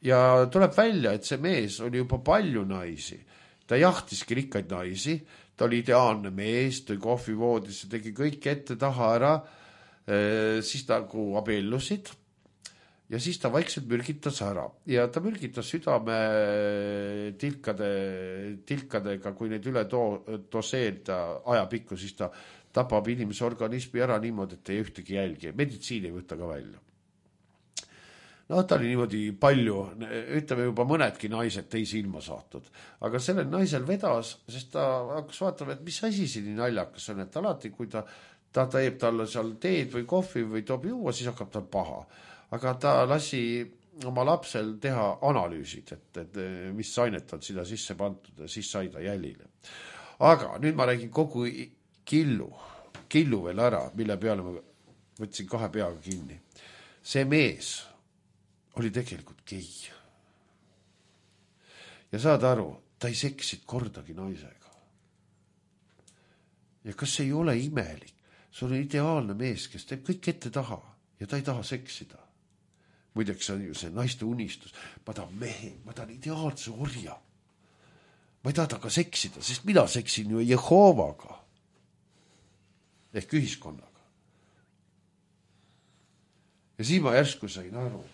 Ja tuleb välja, et see mees oli juba palju naisi. Ta jahtiski rikkaid naisi, ta oli ideaalne mees, tõi kohvivoodisse, tegi kõik ette taha ära, siis nagu abiellusid ja siis ta vaikselt mürgitas ära. Ja ta mürgitas südame tilkadega, kui neid üle doseerida ajapikku, siis ta tapab inimese organismi ära niimoodi, et ei ühtegi jälgi. Meditsiin ei võtta ka välja. Ta oli niimoodi palju, ütleme juba mõnedki naised teisi ilma saatnud. Aga sellel naisel vedas, sest ta hakkas vaatama, et mis asi siin nii naljakas on, et alati, kui ta teeb talle seal teed või kohvi või toob juua, siis hakkab tal paha. Aga ta lasi oma lapsel teha analüüsid, et mis ainet on sinna sisse pandud ja siis sai ta jälile. Aga nüüd ma räägin kogu killu veel ära, mille peale ma võtsin 2 peaga kinni. See mees oli tegelikult gei. Ja saad aru, ta ei seksinud kordagi naisega. Ja kas see ei ole imelik? See on ideaalne mees, kes teeb kõik ette taha ja ta ei taha seksida. Muideks on ju see naiste unistus. Ma tahan mehe, ma tahan ideaalse orja. Ma ei taha ka seksida, sest mina seksin ju Jehovaga. Ehk ühiskonnaga. Ja siis ma järsku sain aru.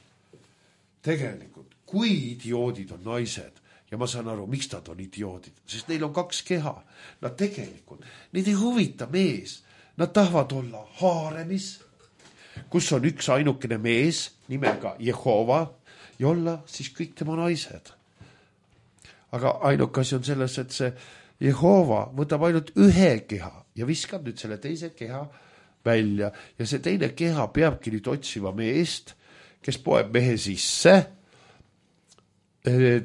Tegelikult, kui idioodid on naised, ja ma saan aru, miks nad on idioodid, sest neil on 2 keha. Nad tegelikult, neid ei huvita mees. Nad tahavad olla haaremis, kus on üks ainukene mees nimega Jehova ja olla siis kõik tema naised. Aga ainuke asi on selles, et see Jehova võtab ainult 1 keha ja viskab nüüd selle teise keha välja ja see teine keha peabki nüüd otsima meest, kes poeb mehe sisse,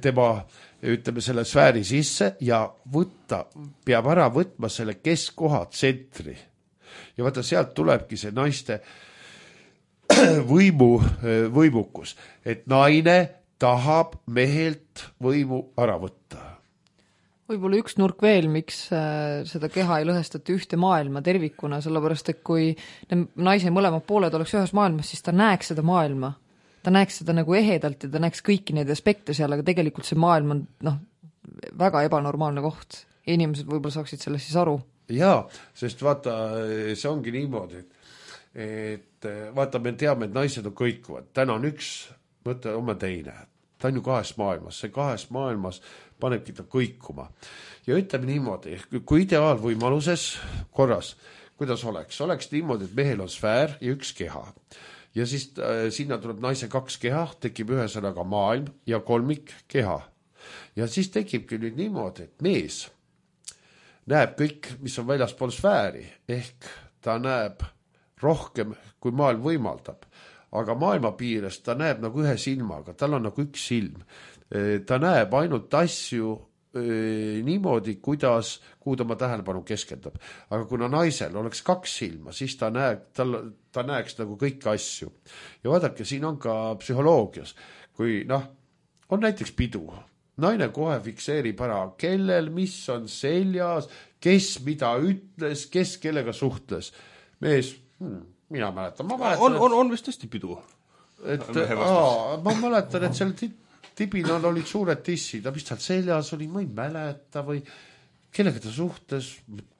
tema, ütleme, selle sfääri sisse ja peab ära võtma selle keskkoha tsentri. Ja vaata, sealt tulebki see naiste võimukus, et naine tahab mehelt võimu ära võtta. Võib-olla üks nurk veel, miks seda keha ei lõhestata ühte maailma tervikuna, sellepärast et kui naise mõlemad pooled oleks ühes maailmas, siis ta näeks seda maailma. Ta näeks seda nagu ehedalt ja ta näeks kõiki neid aspekte seal, aga tegelikult see maailm on väga ebanormaalne koht. Inimesed võib-olla saaksid sellest siis aru. Jaa, sest vaata, see ongi niimoodi, et vaata, me teame, et naised on kõikuvad. Täna on üks, mõte oma teine. Ta on ju kahes maailmas. See kahes maailmas panebki ta kõikuma. Ja ütleme niimoodi, kui ideaalvõimaluses korras, kuidas oleks niimoodi, et mehel on sfäär ja üks keha. Ja siis sinna tuleb naise kaks keha, tekib ühesõnaga maailm ja kolmik keha. Ja siis tekibki nüüd niimoodi, et mees näeb kõik, mis on väljaspool sfääri, ehk ta näeb rohkem, kui maailm võimaldab. Aga maailma piires ta näeb nagu ühe silmaga, tal on nagu üks silm. Ta näeb ainult asju niimoodi, kuhu ta oma tähelepanu keskendab. Aga kuna naisel oleks kaks silma, siis ta näeks nagu kõiki asju. Ja vaadake, siin on ka psühholoogias, kui on näiteks pidu. Naine kohe fikseerib ära, kellel, mis on seljas, kes mida ütles, kes kellega suhtles. Mees, mina mäletan. On vist tõesti pidu. Ma mäletan, et seal tibina olid suured tissid, mis tal seljas oli, ma ei mäleta või kellega ta suhtes,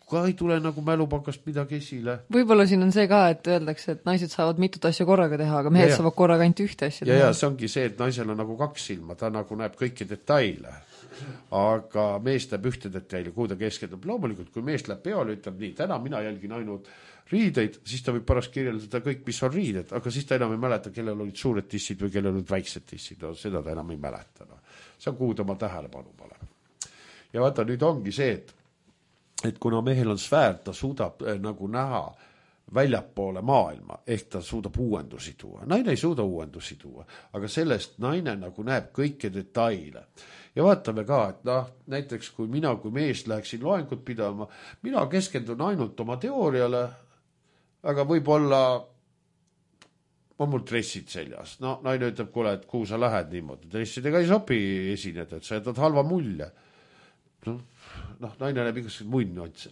ka ei tule nagu mälupakast midagi esile. Võib-olla siin on see ka, et öeldakse, et naised saavad mitut asja korraga teha, aga mehed saavad korraga ainult ühte asja teha. Ja see ongi see, et naisel on nagu kaks silma, ta nagu näeb kõiki detaile, aga mees näeb ühte detaili, kuhu ta keskendub. Loomulikult, kui mees läheb peole, ütleb nii, täna mina jälgin ainult riideid, siis ta võib pärast kirjeldada kõik, mis on riided, aga siis ta enam ei mäleta, kellel olid suured tissid või kellel olid väiksed tissid. Seda ta enam ei mäleta. See on kuhu ta oma tähelepanu paneb. Ja vaata, nüüd ongi see, et kuna mehel on sfäär, ta suudab nagu näha väljapoole maailma, ehk ta suudab uuendusi tuua. Naine ei suuda uuendusi tuua, aga sellest naine nagu näeb kõike detaile. Ja vaatame ka, et näiteks kui mina kui mees läheksin loengut pidama, mina keskendun ainult oma teooriale, aga võib-olla on mul dressid seljas. Naine ütleb, kuule, et kuhu sa lähed niimoodi. Dressidega ei sobi esineda, et sa jätad halva mulje. Naine näeb igasugused muid nüansse.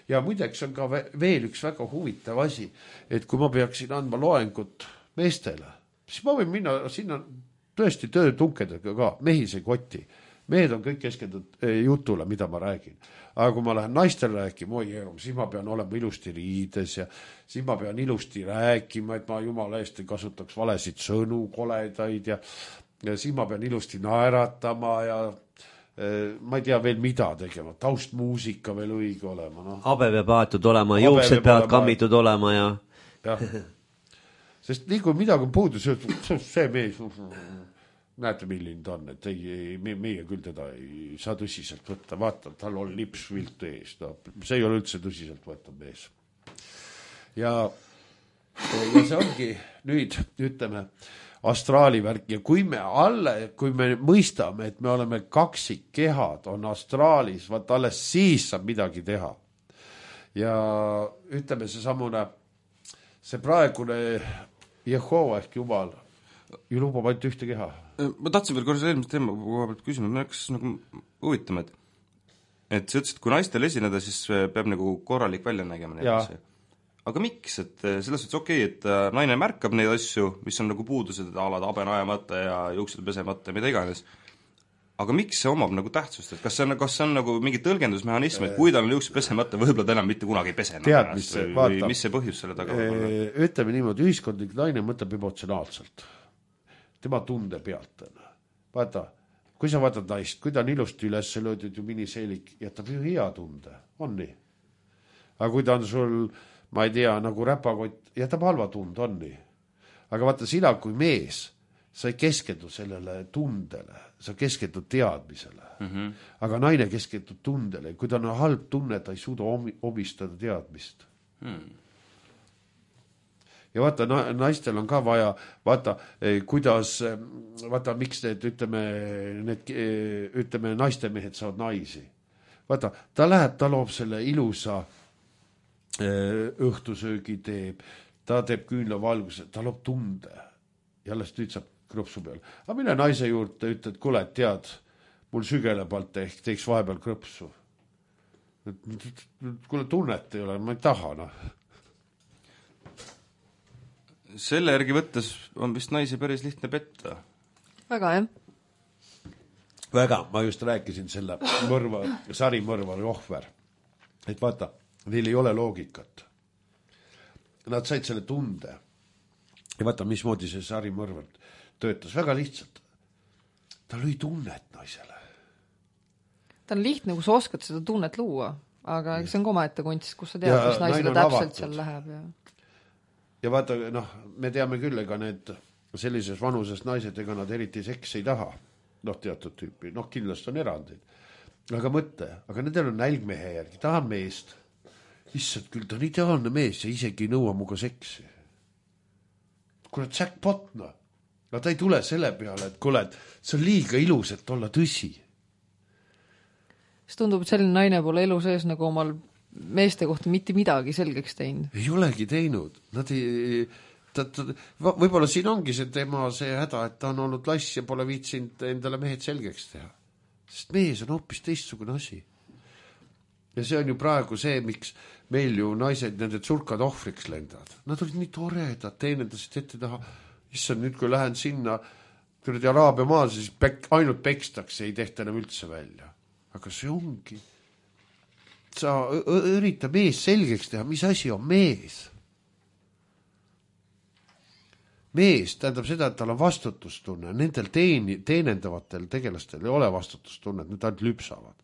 Ja muideks on ka veel üks väga huvitav asi, et kui ma peaksin andma loengut meestele, siis ma võin minna sinna tõesti töötunkedega ka, mehi see koti. Mehed on kõik keskendunud jutule, mida ma räägin. Aga kui ma lähen naistele rääkima, siis ma pean olema ilusti riides ja siis ma pean ilusti rääkima, et ma jumala eest ei kasutaks valesid sõnu, koledaid ja siis ma pean ilusti naeratama ja ma ei tea veel mida tegema, taustmuusika veel õige olema. Habe peab aetud olema, juuksed peavad kammitud olema ja... Sest nii kui midagi on puudu, see mees, näete milline ta on, et meie küll teda ei saa tõsiselt võtta, vaata, tal on lips viltu ees, see ei ole üldse tõsiselt võtta mees. Ja see ongi nüüd, ütleme, astraalivärk ja kui me mõistame, et me oleme kaksikkehad, on astraalis, vaat alles siis saab midagi teha. Ja ütleme see praegune Jehova ehk Jumal ju lubab ainult ühte keha. Ma tahtsin veel korras eelmist teema pealt küsima, ma hakkas nagu huvitama, et sa ütlesid, kui naistel esineda, siis peab nagu korralik välja nägema. Aga miks? Et selles suhtes okei, et naine märkab neid asju, mis on nagu puudused, alad habe najamata ja juuksed pesemata ja mida iganes. Aga miks see omab nagu tähtsust? Et kas see on nagu mingi tõlgendusmehhanism, et kui tal on juuksed pesemata, võib-olla ta enam mitte kunagi ei pese. Või mis see põhjus selle taga võib olla? Ütleme niimoodi, ühiskondlik naine mõtleb emotsionaalselt. Tema tunde pealt. Vaata, kui sa vaatad naist, kui ta on ilusti üles löödud ju miniseelik, jätab ju hea tunde. On nii? Aga kui ta on sul, ma ei tea, nagu räpakott, jätab halva tunde, on nii? Aga vaata, sina kui mees, sa ei keskendu sellele tundele, sa keskendud teadmisele. Aga naine keskendub tundele. Kui ta on halb tunne, ta ei suuda omistada teadmist. ja vaata, naistel on ka vaja, vaata, kuidas, vaata, miks ütleme, naistemehed saavad naisi. Vaata, ta läheb, ta loob selle ilusa õhtusöögi teeb, ta teeb küünlavalguse, ta loob tunde ja alles nüüd saab krõpsu peal. Aga mille naise juurde ütled, kuule, tead, mul sügele palt ehk teeks vahepeal krõpsu. Kuule, tunnet ei ole, ma ei taha, noh. Selle järgi võttes on vist naisi päris lihtne petta. Väga, jah. Väga, ma just rääkisin selle sarimõrvari ohver. Et vaata, neil ei ole loogikat. Nad said selle tunde. Ja vaata, mismoodi see sarimõrvar töötas. Väga lihtsalt. Ta lõi tunnet naisele. Ta on lihtne, kui sa oskad seda tunnet luua, aga see on ka omaette kunst, kus sa tead, mis naisele täpselt seal läheb. Ja vaata, noh, me teame küll, ega need sellises vanuses naised, ega nad eriti seks ei taha. Noh, teatud tüüpi, noh, kindlasti on erandid. Aga mõtte, aga nendel on nälgmehe järgi, tahan meest. Issad küll, ta on ideaalne mees ja isegi ei nõua muga seksi. Kuule, jackpot, noh. No ta ei tule selle peale, et kuule, see on liiga ilus, et olla tõsi. See tundub, et selline naine pole elu sees nagu omal meeste kohta mitte midagi selgeks teinud. Ei olegi teinud. Nad ei, võib-olla siin ongi see tema see häda, et ta on olnud lass ja pole viitsinud endale mehed selgeks teha. Sest mees on hoopis teistsugune asi. Ja see on ju praegu see, miks meil ju naised nende tsurkad ohvriks lendavad. Nad olid nii toredad, teenendasid ette taha. Issand, nüüd kui lähen sinna Araabia maal, siis ainult pekstakse, ei tehta enam üldse välja. Aga see ongi. Sa ürita mees selgeks teha, mis asi on mees. Mees tähendab seda, et tal on vastutustunne. Nendel teenendavatel tegelastel ei ole vastutustunne, et need ainult lüpsavad.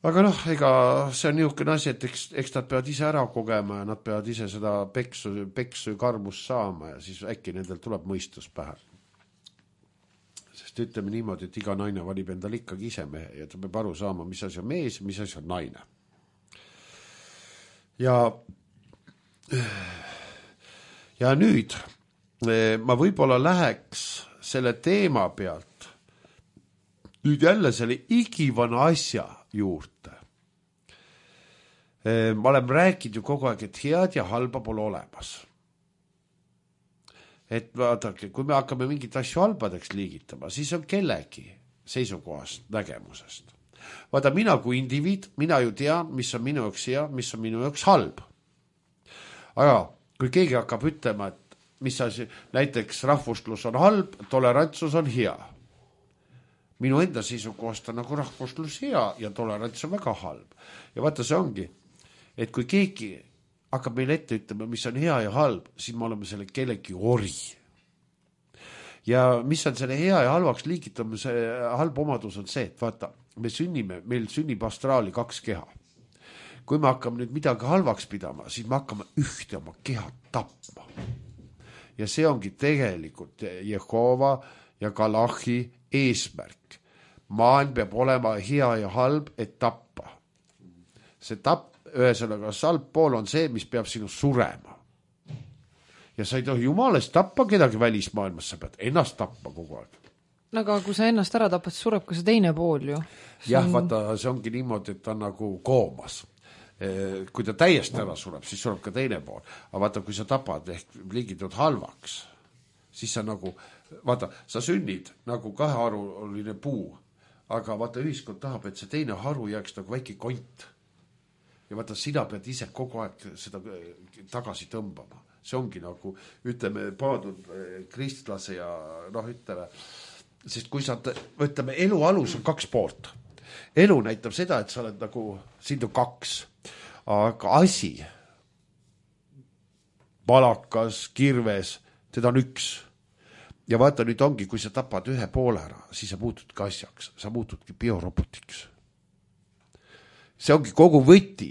Aga noh, ega see on niisugune asi, et eks nad peavad ise ära kogema ja nad peavad ise seda peksu karmust saama ja siis äkki nendel tuleb mõistus pähe. Sest ütleme niimoodi, et iga naine valib endal ikkagi ise mehe ja ta peab aru saama, mis asi on mees ja mis asi on naine. Ja nüüd ma võib-olla läheks selle teema pealt nüüd jälle selle igivana asja juurde. Ma olen rääkinud ju kogu aeg, et head ja halba pole olemas. Et vaadake, kui me hakkame mingit asju halbadeks liigitama, siis on kellegi seisukohast nägemusest. Vaata, mina kui indiviid, mina ju tean, mis on minu jaoks hea, mis on minu jaoks halb. Aga kui keegi hakkab ütlema, et mis asi, näiteks rahvuslus on halb, tolerantsus on hea. Minu enda seisukohast on nagu rahvuslus hea ja tolerants on väga halb. Ja vaata, see ongi, et kui keegi hakkab meile ette ütlema, mis on hea ja halb, siis me oleme selle kellegi ori. Ja mis on selle hea ja halvaks liigitamise halb omadus on see, et vaata, meil sünnib astraali 2 keha. Kui me hakkame nüüd midagi halvaks pidama, siis me hakkame ühte oma keha tapma. Ja see ongi tegelikult Jehova ja Kalahi eesmärk. Maailm peab olema hea ja halb, et tappa. See ühesõnaga halb pool on see, mis peab sinu surema. Ja sa ei tohi jumalast tappa kedagi välismaailmas, sa pead ennast tappa kogu aeg. Aga kui sa ennast ära tapad, siis sureb ka see teine pool ju. Jah, vaata, see ongi niimoodi, et ta on nagu koomas. Kui ta täiesti ära sureb, siis sureb ka teine pool. Aga vaata, kui sa tapad ehk liigitud halvaks, siis sa nagu, vaata, sa sünnid nagu 2-haruline puu, aga vaata, ühiskond tahab, et see teine haru jääks nagu väike kont. Ja vaata, sina pead ise kogu aeg seda tagasi tõmbama. See ongi nagu, ütleme, paadud kristlase ja noh, ütleme, sest kui sa, ütleme, elu alus on 2 poolt. Elu näitab seda, et sa oled nagu, sind on 2, aga asi, palakas, kirves, teda on 1. Ja vaata, nüüd ongi, kui sa tapad 1 poole ära, siis sa muutudki asjaks, sa muutudki biorobotiks. See ongi kogu võti,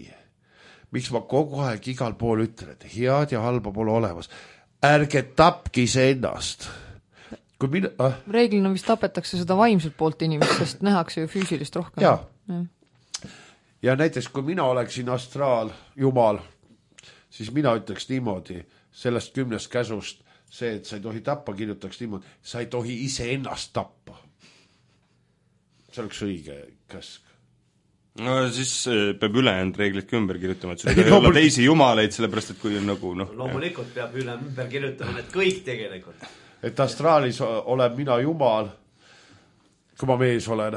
miks ma kogu aeg igal pool ütlen, et head ja halba pole olemas. Ärge tapki see ennast. Reeglina vist tapetakse seda vaimselt poolt inimest, sest nähakse ju füüsilist rohkem. Ja näiteks, kui mina oleksin astraal, jumal, siis mina ütleks niimoodi, sellest 10 käsust see, et sa ei tohi tappa, kirjutaks niimoodi, sa ei tohi iseennast tappa. See oleks õige käsk. No siis peab ülejäänud reeglid ümber kirjutama, et sul ei tohi olla teisi jumaleid, sellepärast et kui on nagu loomulikult peab ümber kirjutama need kõik tegelikult. Et astraalis olen mina jumal, kui ma mees olen.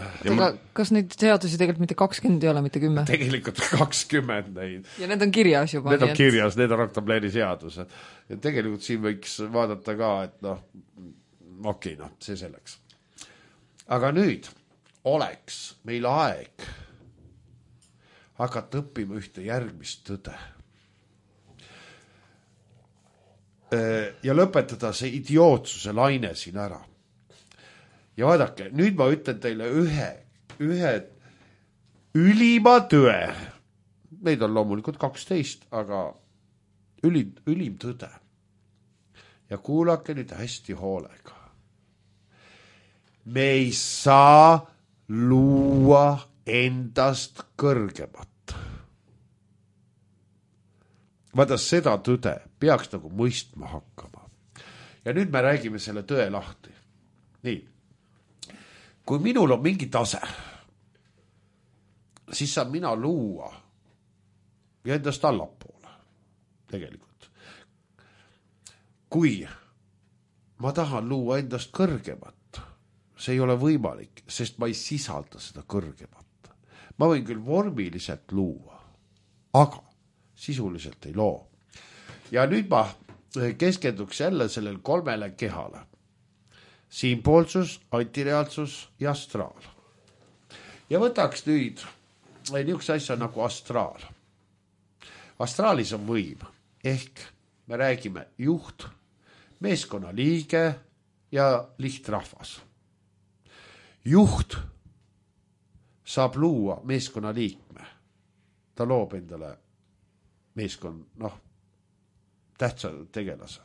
Kas neid seadusi tegelikult mitte 20 ei ole, mitte 10? Tegelikult 20 neid. Ja need on kirjas juba. Need on kirjas, need on Octobleri seadused. Ja tegelikult siin võiks vaadata ka, et okei, see selleks. Aga nüüd oleks meil aeg hakata õppima ühte järgmist tõde. Ja lõpetada see idiootsuse laine siin ära. Ja vaadake, nüüd ma ütlen teile ühe ülima tõe. Neid on loomulikult 12, aga ülim tõde. Ja kuulake nüüd hästi hoolega. Me ei saa luua endast kõrgemat. Vaata, seda tõde peaks nagu mõistma hakkama. Ja nüüd me räägime selle tõe lahti. Nii. Kui minul on mingi tase, siis saan mina luua ja endast allapoole tegelikult. Kui ma tahan luua endast kõrgemat, see ei ole võimalik, sest ma ei sisalda seda kõrgemat. Ma võin küll vormiliselt luua, aga sisuliselt ei loo. Ja nüüd ma keskenduks jälle sellel 3 kehale. Siinpoolsus, antireaalsus ja astraal. Ja võtaks nüüd niisuguse asja nagu astraal. Astraalis on võim, ehk me räägime juht, meeskonna liige ja lihtrahvas. Juht saab luua meeskonna liikme. Ta loob endale meeskond, tähtsa tegelase.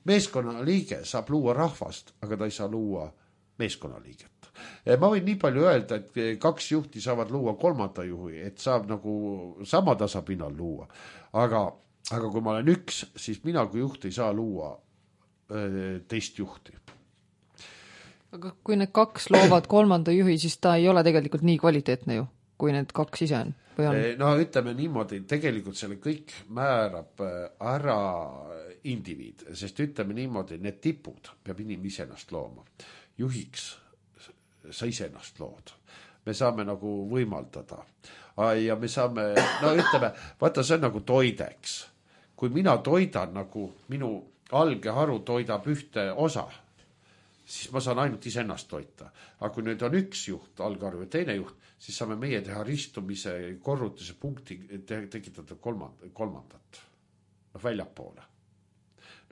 Meeskonna liige saab luua rahvast, aga ta ei saa luua meeskonna liiget. Ma võin nii palju öelda, et 2 juhti saavad luua 3. juhi, et saab nagu sama tasapinnal luua. Aga kui ma olen 1, siis mina kui juht ei saa luua teist juhti. Aga kui need 2 loovad 3. juhi, siis ta ei ole tegelikult nii kvaliteetne ju, kui need 2 ise on. No ütleme niimoodi, tegelikult selle kõik määrab ära indiviid, sest ütleme niimoodi, need tipud peab inimene iseennast looma. Juhiks sa iseennast lood. Me saame nagu võimaldada. Ja me saame, ütleme, vaata see on nagu toideks. Kui mina toidan nagu minu algeharu toidab ühte osa, siis ma saan ainult iseennast toita. Aga kui nüüd on 1 juht, algeharu ja teine juht, siis saame meie teha ristumise korrutise punkti tekitada kolmandat väljapoole.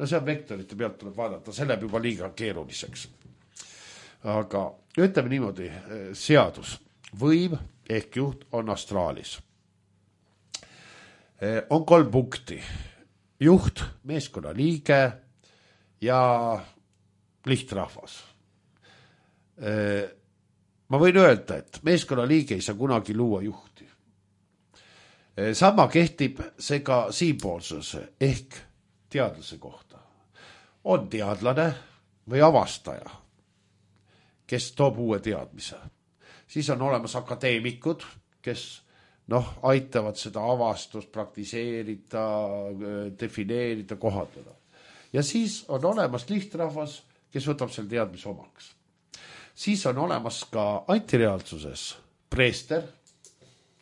See on vektorite pealt tuleb vaadata, see läheb juba liiga keeruliseks. Aga ütleme niimoodi, seadus, võim ehk juht on astraalis. On 3 punkti. Juht, meeskonna liige ja lihtrahvas. Ma võin öelda, et meeskonna liige ei saa kunagi luua juhti. Sama kehtib see ka siinpoolsuse ehk teadlase kohta. On teadlane või avastaja, kes toob uue teadmise. Siis on olemas akadeemikud, kes aitavad seda avastust praktiseerida, defineerida, kohaldada. Ja siis on olemas lihtrahvas, kes võtab selle teadmise omaks. Siis on olemas ka antireaalsuses preester,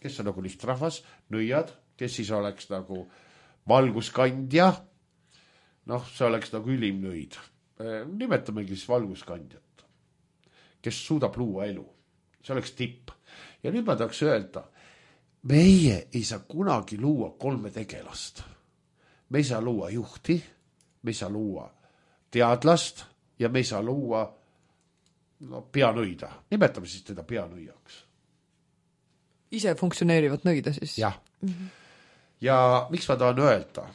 kes on nagu lihtrahvas, nõiad, kes siis oleks nagu valguskandja, see oleks nagu ülim nõid. Nimetamegi siis valguskandjat, kes suudab luua elu. See oleks tipp. Ja nüüd ma tahaks öelda, meie ei saa kunagi luua 3 tegelast. Me ei saa luua juhti, me ei saa luua teadlast ja me ei saa luua peanõida. Nimetame siis teda peanõiaks. Ise funktsioneerivad nõida siis? Jah. Ja miks ma tahan öelda,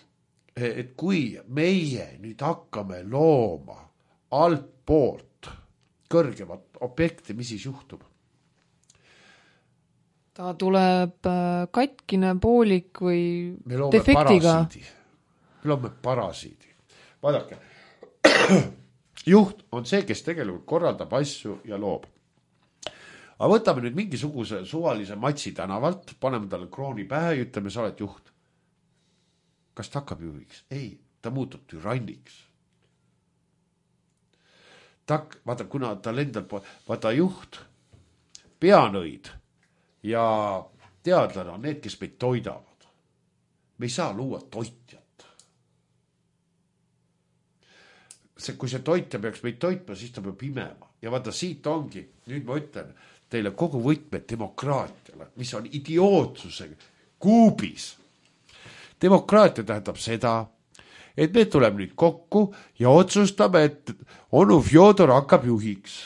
et kui meie nüüd hakkame looma alt poolt kõrgemat objekti, mis siis juhtub? Ta tuleb katkine, poolik või defektiga? loome parasiidi. Vaadake, juht on see, kes tegelikult korraldab asju ja loob. Aga võtame nüüd mingisuguse suvalise Matsi tänavalt, paneme talle krooni pähe ja ütleme, sa oled juht. Kas ta hakkab juhiks? Ei, ta muutub türanniks. Vaata, kuna ta lendab, vaata juht, peanõid ja teadlane on need, kes meid toidavad. Me ei saa luua toitjat. Kui see toitja peaks meid toitma, siis ta peab imema. Ja vaata, siit ongi, nüüd ma ütlen teile kogu võtmed demokraatiale, mis on idiootsusega kuubis. Demokraatia tähendab seda, et me tuleme nüüd kokku ja otsustame, et onu Fjodor hakkab juhiks.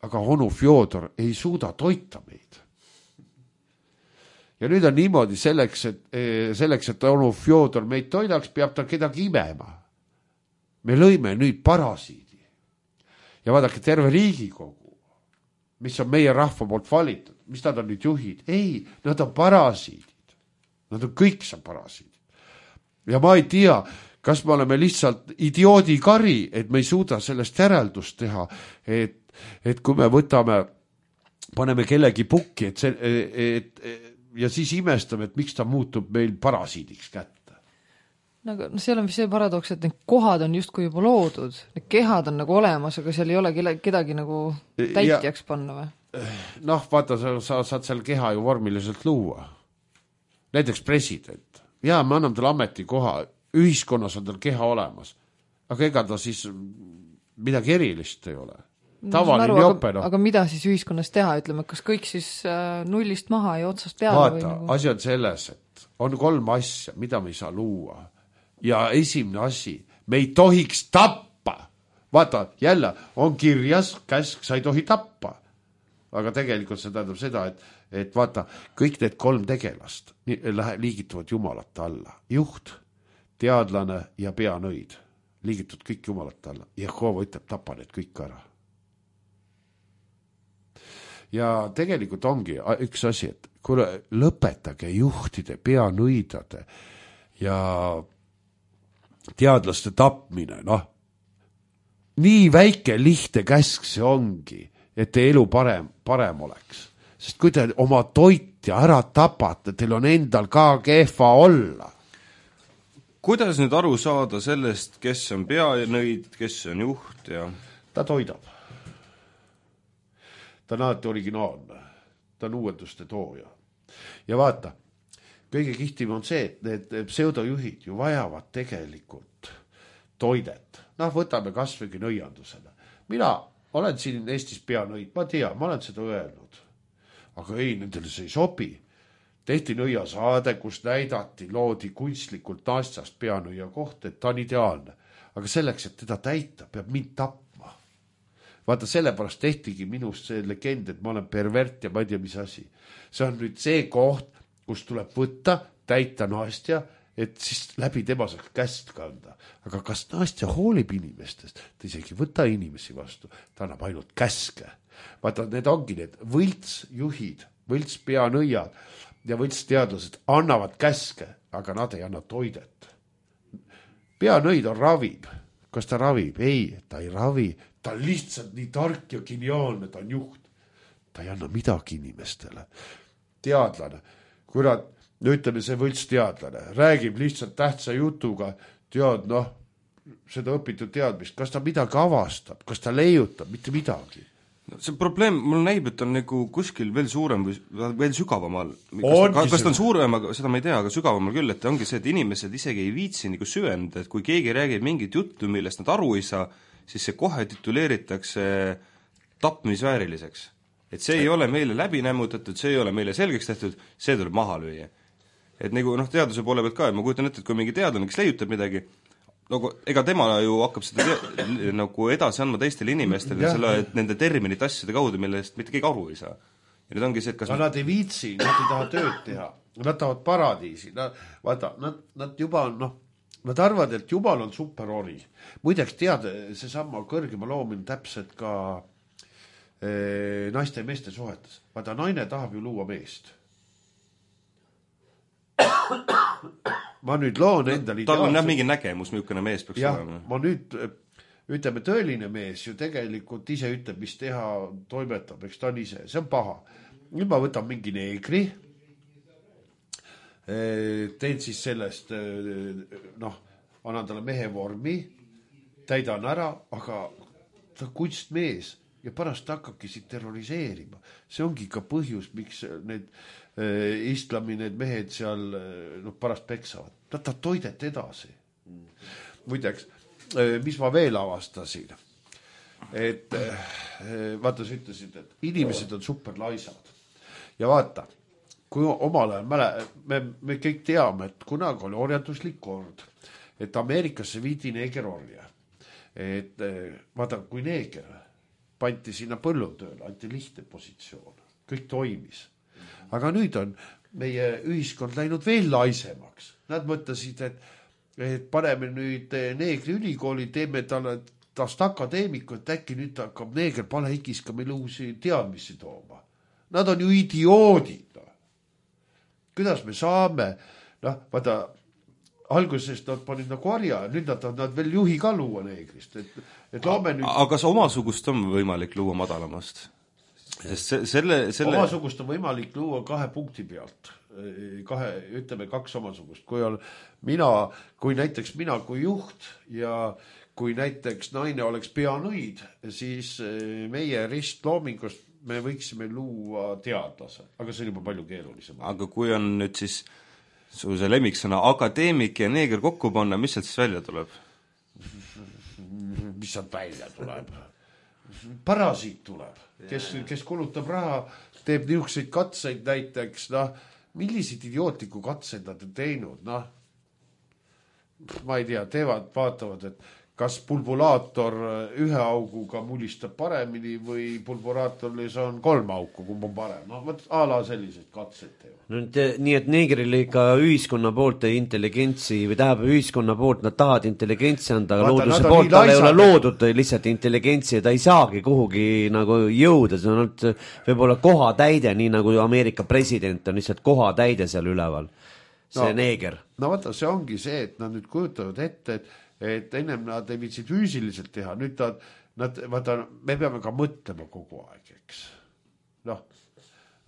Aga onu Fjodor ei suuda toita meid. Ja nüüd on niimoodi selleks, et onu Fjodor meid toidaks, peab ta kedagi imema. Me lõime nüüd parasiidi. Ja vaadake, terve Riigikogu, mis on meie rahva poolt valitud, mis nad on nüüd juhid? Ei, nad on parasiidid. Nad on kõik see parasiidid. Ja ma ei tea, kas me oleme lihtsalt idioodi kari, et me ei suuda sellest järeldust teha, et kui me paneme kellegi pukki, ja siis imestame, et miks ta muutub meil parasiidiks kätte. No, seal on see paradoks, et need kohad on justkui juba loodud, need kehad on nagu olemas, aga seal ei ole kedagi nagu täitjaks panna või? Noh, vaata, sa saad seal keha ju vormiliselt luua. Näiteks president. Jaa, me anname tal ametikoha, ühiskonnas on tal keha olemas, aga ega ta siis midagi erilist ei ole. Tavaline jope, noh. Aga mida siis ühiskonnas teha, ütleme, kas kõik siis nullist maha ja otsast peale? Vaata, või nagu... asi on selles, et on 3 asja, mida me ei saa luua. Ja esimene asi, me ei tohiks tappa. Vaata, jälle on kirjas käsk, sa ei tohi tappa. Aga tegelikult see tähendab seda, et vaata, kõik need 3 tegelast liigituvad jumalate alla. Juht, teadlane ja peanõid liigitud kõik jumalate alla. Jehova ütleb, tapa need kõik ära. Ja tegelikult ongi üks asi, et kuule, lõpetage juhtide, peanõidade ja teadlaste tapmine, noh. Nii väike lihtne käsk see ongi, et teie elu parem oleks. Sest kui te oma toitja ära tapate, teil on endal ka kehva olla. Kuidas nüüd aru saada sellest, kes on peanõid, kes on juht ja... Ta toidab. Ta on alati originaalne. Ta on uuenduste tooja. Ja vaata, kõige kihtim on see, et need pseudojuhid ju vajavad tegelikult toidet. Noh, võtame kasvõigi nõiandusele. Mina olen siin Eestis peanõid, ma tean, ma olen seda öelnud. Aga ei, nendele see ei sobi. Tehti nõiasaade, kus näidati, loodi kunstlikult naastast peanõia koht, et ta on ideaalne. Aga selleks, et teda täita, peab mind tapma. Vaata, sellepärast tehtigi minust see legend, et ma olen pervert ja ma ei tea, mis asi. See on nüüd see koht, kus tuleb võtta, täita naastja, et siis läbi tema saaks käst kanda. Aga kas naastja hoolib inimestest? Ta isegi võta inimesi vastu. Ta annab ainult käske. Vaata, need ongi need võltsjuhid, võltspeanõiad ja võltsteadlased annavad käske, aga nad ei anna toidet. Peanõid on ravib. Kas ta ravib? Ei, ta ei ravi. Ta on lihtsalt nii tark ja geniaalne, ta on juht. Ta ei anna midagi inimestele. Teadlane. Kurat, ütleme see võltsteadlane, räägib lihtsalt tähtsa jutuga, tead, noh, seda õpitud teadmist, kas ta midagi avastab, kas ta leiutab, mitte midagi. See probleem, mul näib, et on nagu kuskil veel suurem või veel sügavamal. Kas ta on suurem, aga seda ma ei tea, aga sügavamal küll, et ongi see, et inimesed isegi ei viitsi nagu süvenda, et kui keegi räägib mingit juttu, millest nad aru ei saa, siis see kohe tituleeritakse tapmisvääriliseks. Et see ei ole meile läbi nämmutatud, see ei ole meile selgeks tehtud, see tuleb maha lüüa. Et nagu teaduse poole pealt ka, et ma kujutan ette, et kui mingi teadlane, kes leiutab midagi, nagu, ega tema ju hakkab seda nagu edasi andma teistele inimestele, selle, et nende terminite asjade kaudu, millest mitte keegi aru ei saa. Ja nüüd ongi see, et kas... Nad ei viitsi, nad ei taha tööd teha, nad tahavad paradiisi, vaata, nad juba on, noh, nad arvavad, et Jumal on superori. Muideks tead, see sama kõrgema loomine täpselt ka naiste ja meeste suhetes. Vaata, naine tahab ju luua meest. ma nüüd loon endale tal on jah mingi nägemus, milline mees peaks olema. Ma nüüd, ütleme, tõeline mees ju tegelikult ise ütleb, mis teha, toimetab, eks ta on ise, see on paha. Nüüd ma võtan mingi neegri, teen siis sellest, annan talle mehe vormi, täidan ära, aga ta on kunstmees ja pärast hakkabki siit terroriseerima. See ongi ka põhjus, miks need islami need mehed seal pärast peksavad. Ta toidet edasi. Muideks, mis ma veel avastasin, et vaata, sa ütlesid, et inimesed on superlaisad. Ja vaata, kui omal ajal me kõik teame, et kunagi oli orjanduslik kord, et Ameerikasse viidi neegerorja. Et vaata, kui neeger pandi sinna põllutööle, anti lihtne positsioon, kõik toimis. Aga nüüd on meie ühiskond läinud veel laisemaks. Nad mõtlesid, et paneme nüüd neegri ülikooli, teeme tast akadeemiku, et äkki nüüd hakkab neeger palehikis ka meil uusi teadmisi tooma. Nad on ju idioodid. Kuidas me saame, vaata, algusest nad panid nagu harja, nüüd nad veel juhi ka luua neegrist. Et loome nüüd... Aga kas omasugust on võimalik luua madalamast? Sest selle... Omasugust on võimalik luua 2 punkti pealt. Ütleme 2 omasugust. Kui näiteks mina kui juht ja kui näiteks naine oleks peanõid, siis meie ristloomingust me võiksime luua teadlase. Aga see on juba palju keerulisem. Aga kui on nüüd siis su see lemmiksõna akadeemik ja neeger kokku panna, mis sealt siis välja tuleb? Mis sealt välja tuleb? Parasiit tuleb, kes kulutab raha, teeb niisuguseid katseid näiteks, milliseid idiootliku katseid nad on teinud, ma ei tea, vaatavad, et kas pulvulaator 1 auguga mulistab paremini või pulvulaatorlis on 3 auku, kumb on parem. Ala selliseid katseid teevad. Nii et neegril ikka ühiskonna poolt intelligentsi või tähendab ühiskonna poolt nad tahavad intelligentsi anda, aga looduse poolt tal ei ole loodud lihtsalt intelligentsi ja ta ei saagi kuhugi nagu jõuda, see on võib-olla kohatäide, nii nagu Ameerika president on lihtsalt kohatäide seal üleval, see neeger. No vaata, see ongi see, et nad nüüd kujutavad ette, et ennem nad ei viitsid füüsiliselt teha, nüüd vaata, me peame ka mõtlema kogu aeg, eks.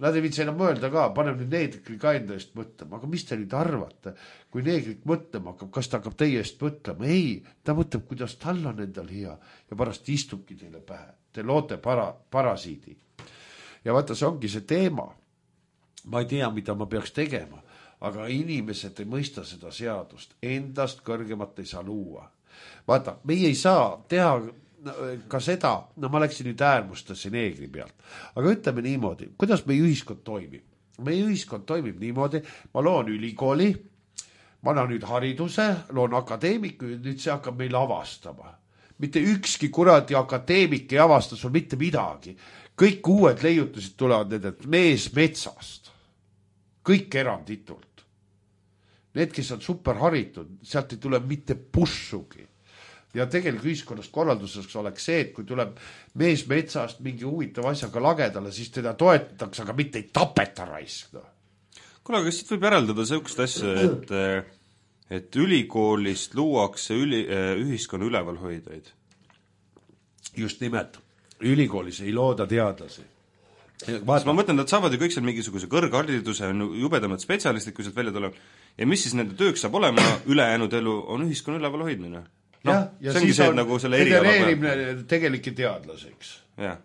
Nad ei viitsi enam mõelda ka, panem nüüd neegri ka enda eest mõtlema, aga mis te nüüd arvate, kui neegrit mõtlema hakkab, kas ta hakkab teie eest mõtlema? Ei, ta mõtleb, kuidas tal on endal hea ja pärast istubki teile pähe. Te loote parasiidi. Ja vaata, see ongi see teema. Ma ei tea, mida ma peaks tegema. Aga inimesed ei mõista seda seadust. Endast kõrgemat ei saa luua. Vaata, meie ei saa teha ka seda, ma läksin nüüd äärmustesse neegri pealt. Aga ütleme niimoodi, kuidas meie ühiskond toimib? Meie ühiskond toimib niimoodi, ma loon ülikooli, ma annan nüüd hariduse, loon akadeemiku ja nüüd see hakkab meil avastama. Mitte ükski kuradi akadeemik ei avasta sul mitte midagi. Kõik uued leiutused tulevad nendelt mees metsast. Kõik eranditult. Need, kes on superharitud, sealt ei tule mitte pussugi. Ja tegelikult ühiskonnast korralduseks oleks see, et kui tuleb mees metsast mingi huvitav asjaga lagedale, siis teda toetatakse, aga mitte ei tapeta raisk. Kuule, kas siit võib järeldada sellist asja, et ülikoolist luuakse ühiskonna ülevalhoidjaid? Just nimelt. Ülikoolis ei looda teadlasi. Ma mõtlen, nad saavad ju kõik seal mingisuguse kõrghariduse, jubedamad spetsialistid, kui sealt välja tuleb. Ja mis siis nende tööks saab olema, ülejäänud elu on ühiskonna üleval hoidmine. Ja siis on nagu genereerimine tegelike teadlaseks. Ja.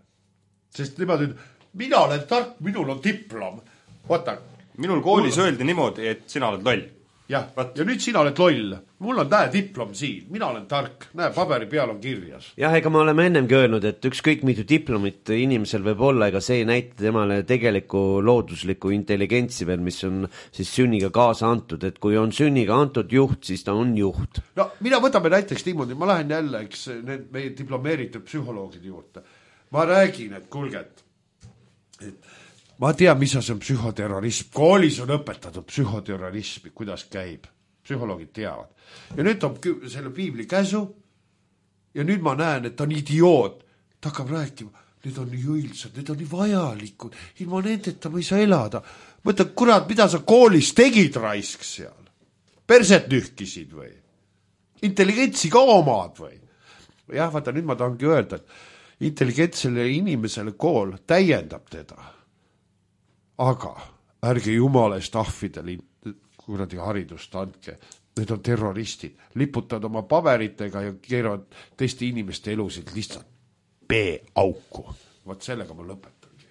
Sest niimoodi, mina olen tark, minul on diplom. Vaata. Minul koolis öeldi niimoodi, et sina oled loll. Ja nüüd sina oled loll. Mul on diplom siin, mina olen tark. Näe, paberi peal on kirjas. Jah, ega ma oleme ennemgi öelnud, et ükskõik mitu diplomit inimesel võib olla, ega see ei näita temale tegeliku loodusliku intelligentsi veel, mis on siis sünniga kaasa antud, et kui on sünniga antud juht, siis ta on juht. No, mina võtame näiteks niimoodi, ma lähen jälle, eks, meie diplomeeritud psühholoogide juurde. Ma räägin, et kulget, et ma tean, mis on psühhoterrorism. Koolis on õpetatud psühhoterrorismi, kuidas käib. Psühholoogid teavad. Ja nüüd on selle piibli käsu ja nüüd ma näen, et ta on idioot. Ta hakkab rääkima, need on nii õilsad, need on nii vajalikud. Ilma nendeta ma ei saa elada. Mõtlen, kurat, mida sa koolis tegid raisk seal? perset nühkisid või? Intelligentsi ka omad või? Jah, vaata, nüüd ma tahangi öelda, et intelligentsele inimesele kool täiendab teda. Aga ärge jumala eest ahvidele kuradi haridust andke. Need on terroristid. Liputavad oma paberitega ja keeravad teiste inimeste elusid lihtsalt B-auku. Vaat sellega ma lõpetangi.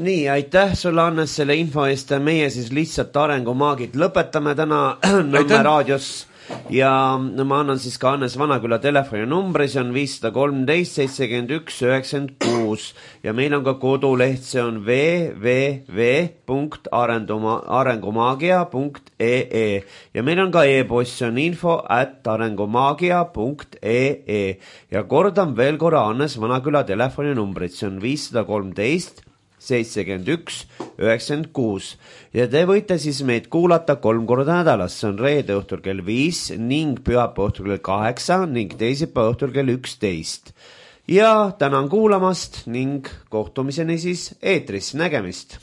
Nii, aitäh sulle, Hannes, selle info eest. Meie siis lihtsalt arengumaagid lõpetame täna Nõmme raadios. Ja ma annan siis ka Hannes Vanaküla telefoni numbri, see on 513 71 96 ja meil on ka koduleht, see on www.arengumagia.ee ja meil on ka e-post, see on info@arengumagia.ee ja kordan veel korra Hannes Vanaküla telefoni numbrit, see on 513 71 96 ja te võite siis meid kuulata 3 korda nädalas, see on reede õhtul kell 5 ning pühapäeva õhtul kell 8 ning teisipäeva õhtul kell 11 ja tänan kuulamast ning kohtumiseni siis eetris, nägemist!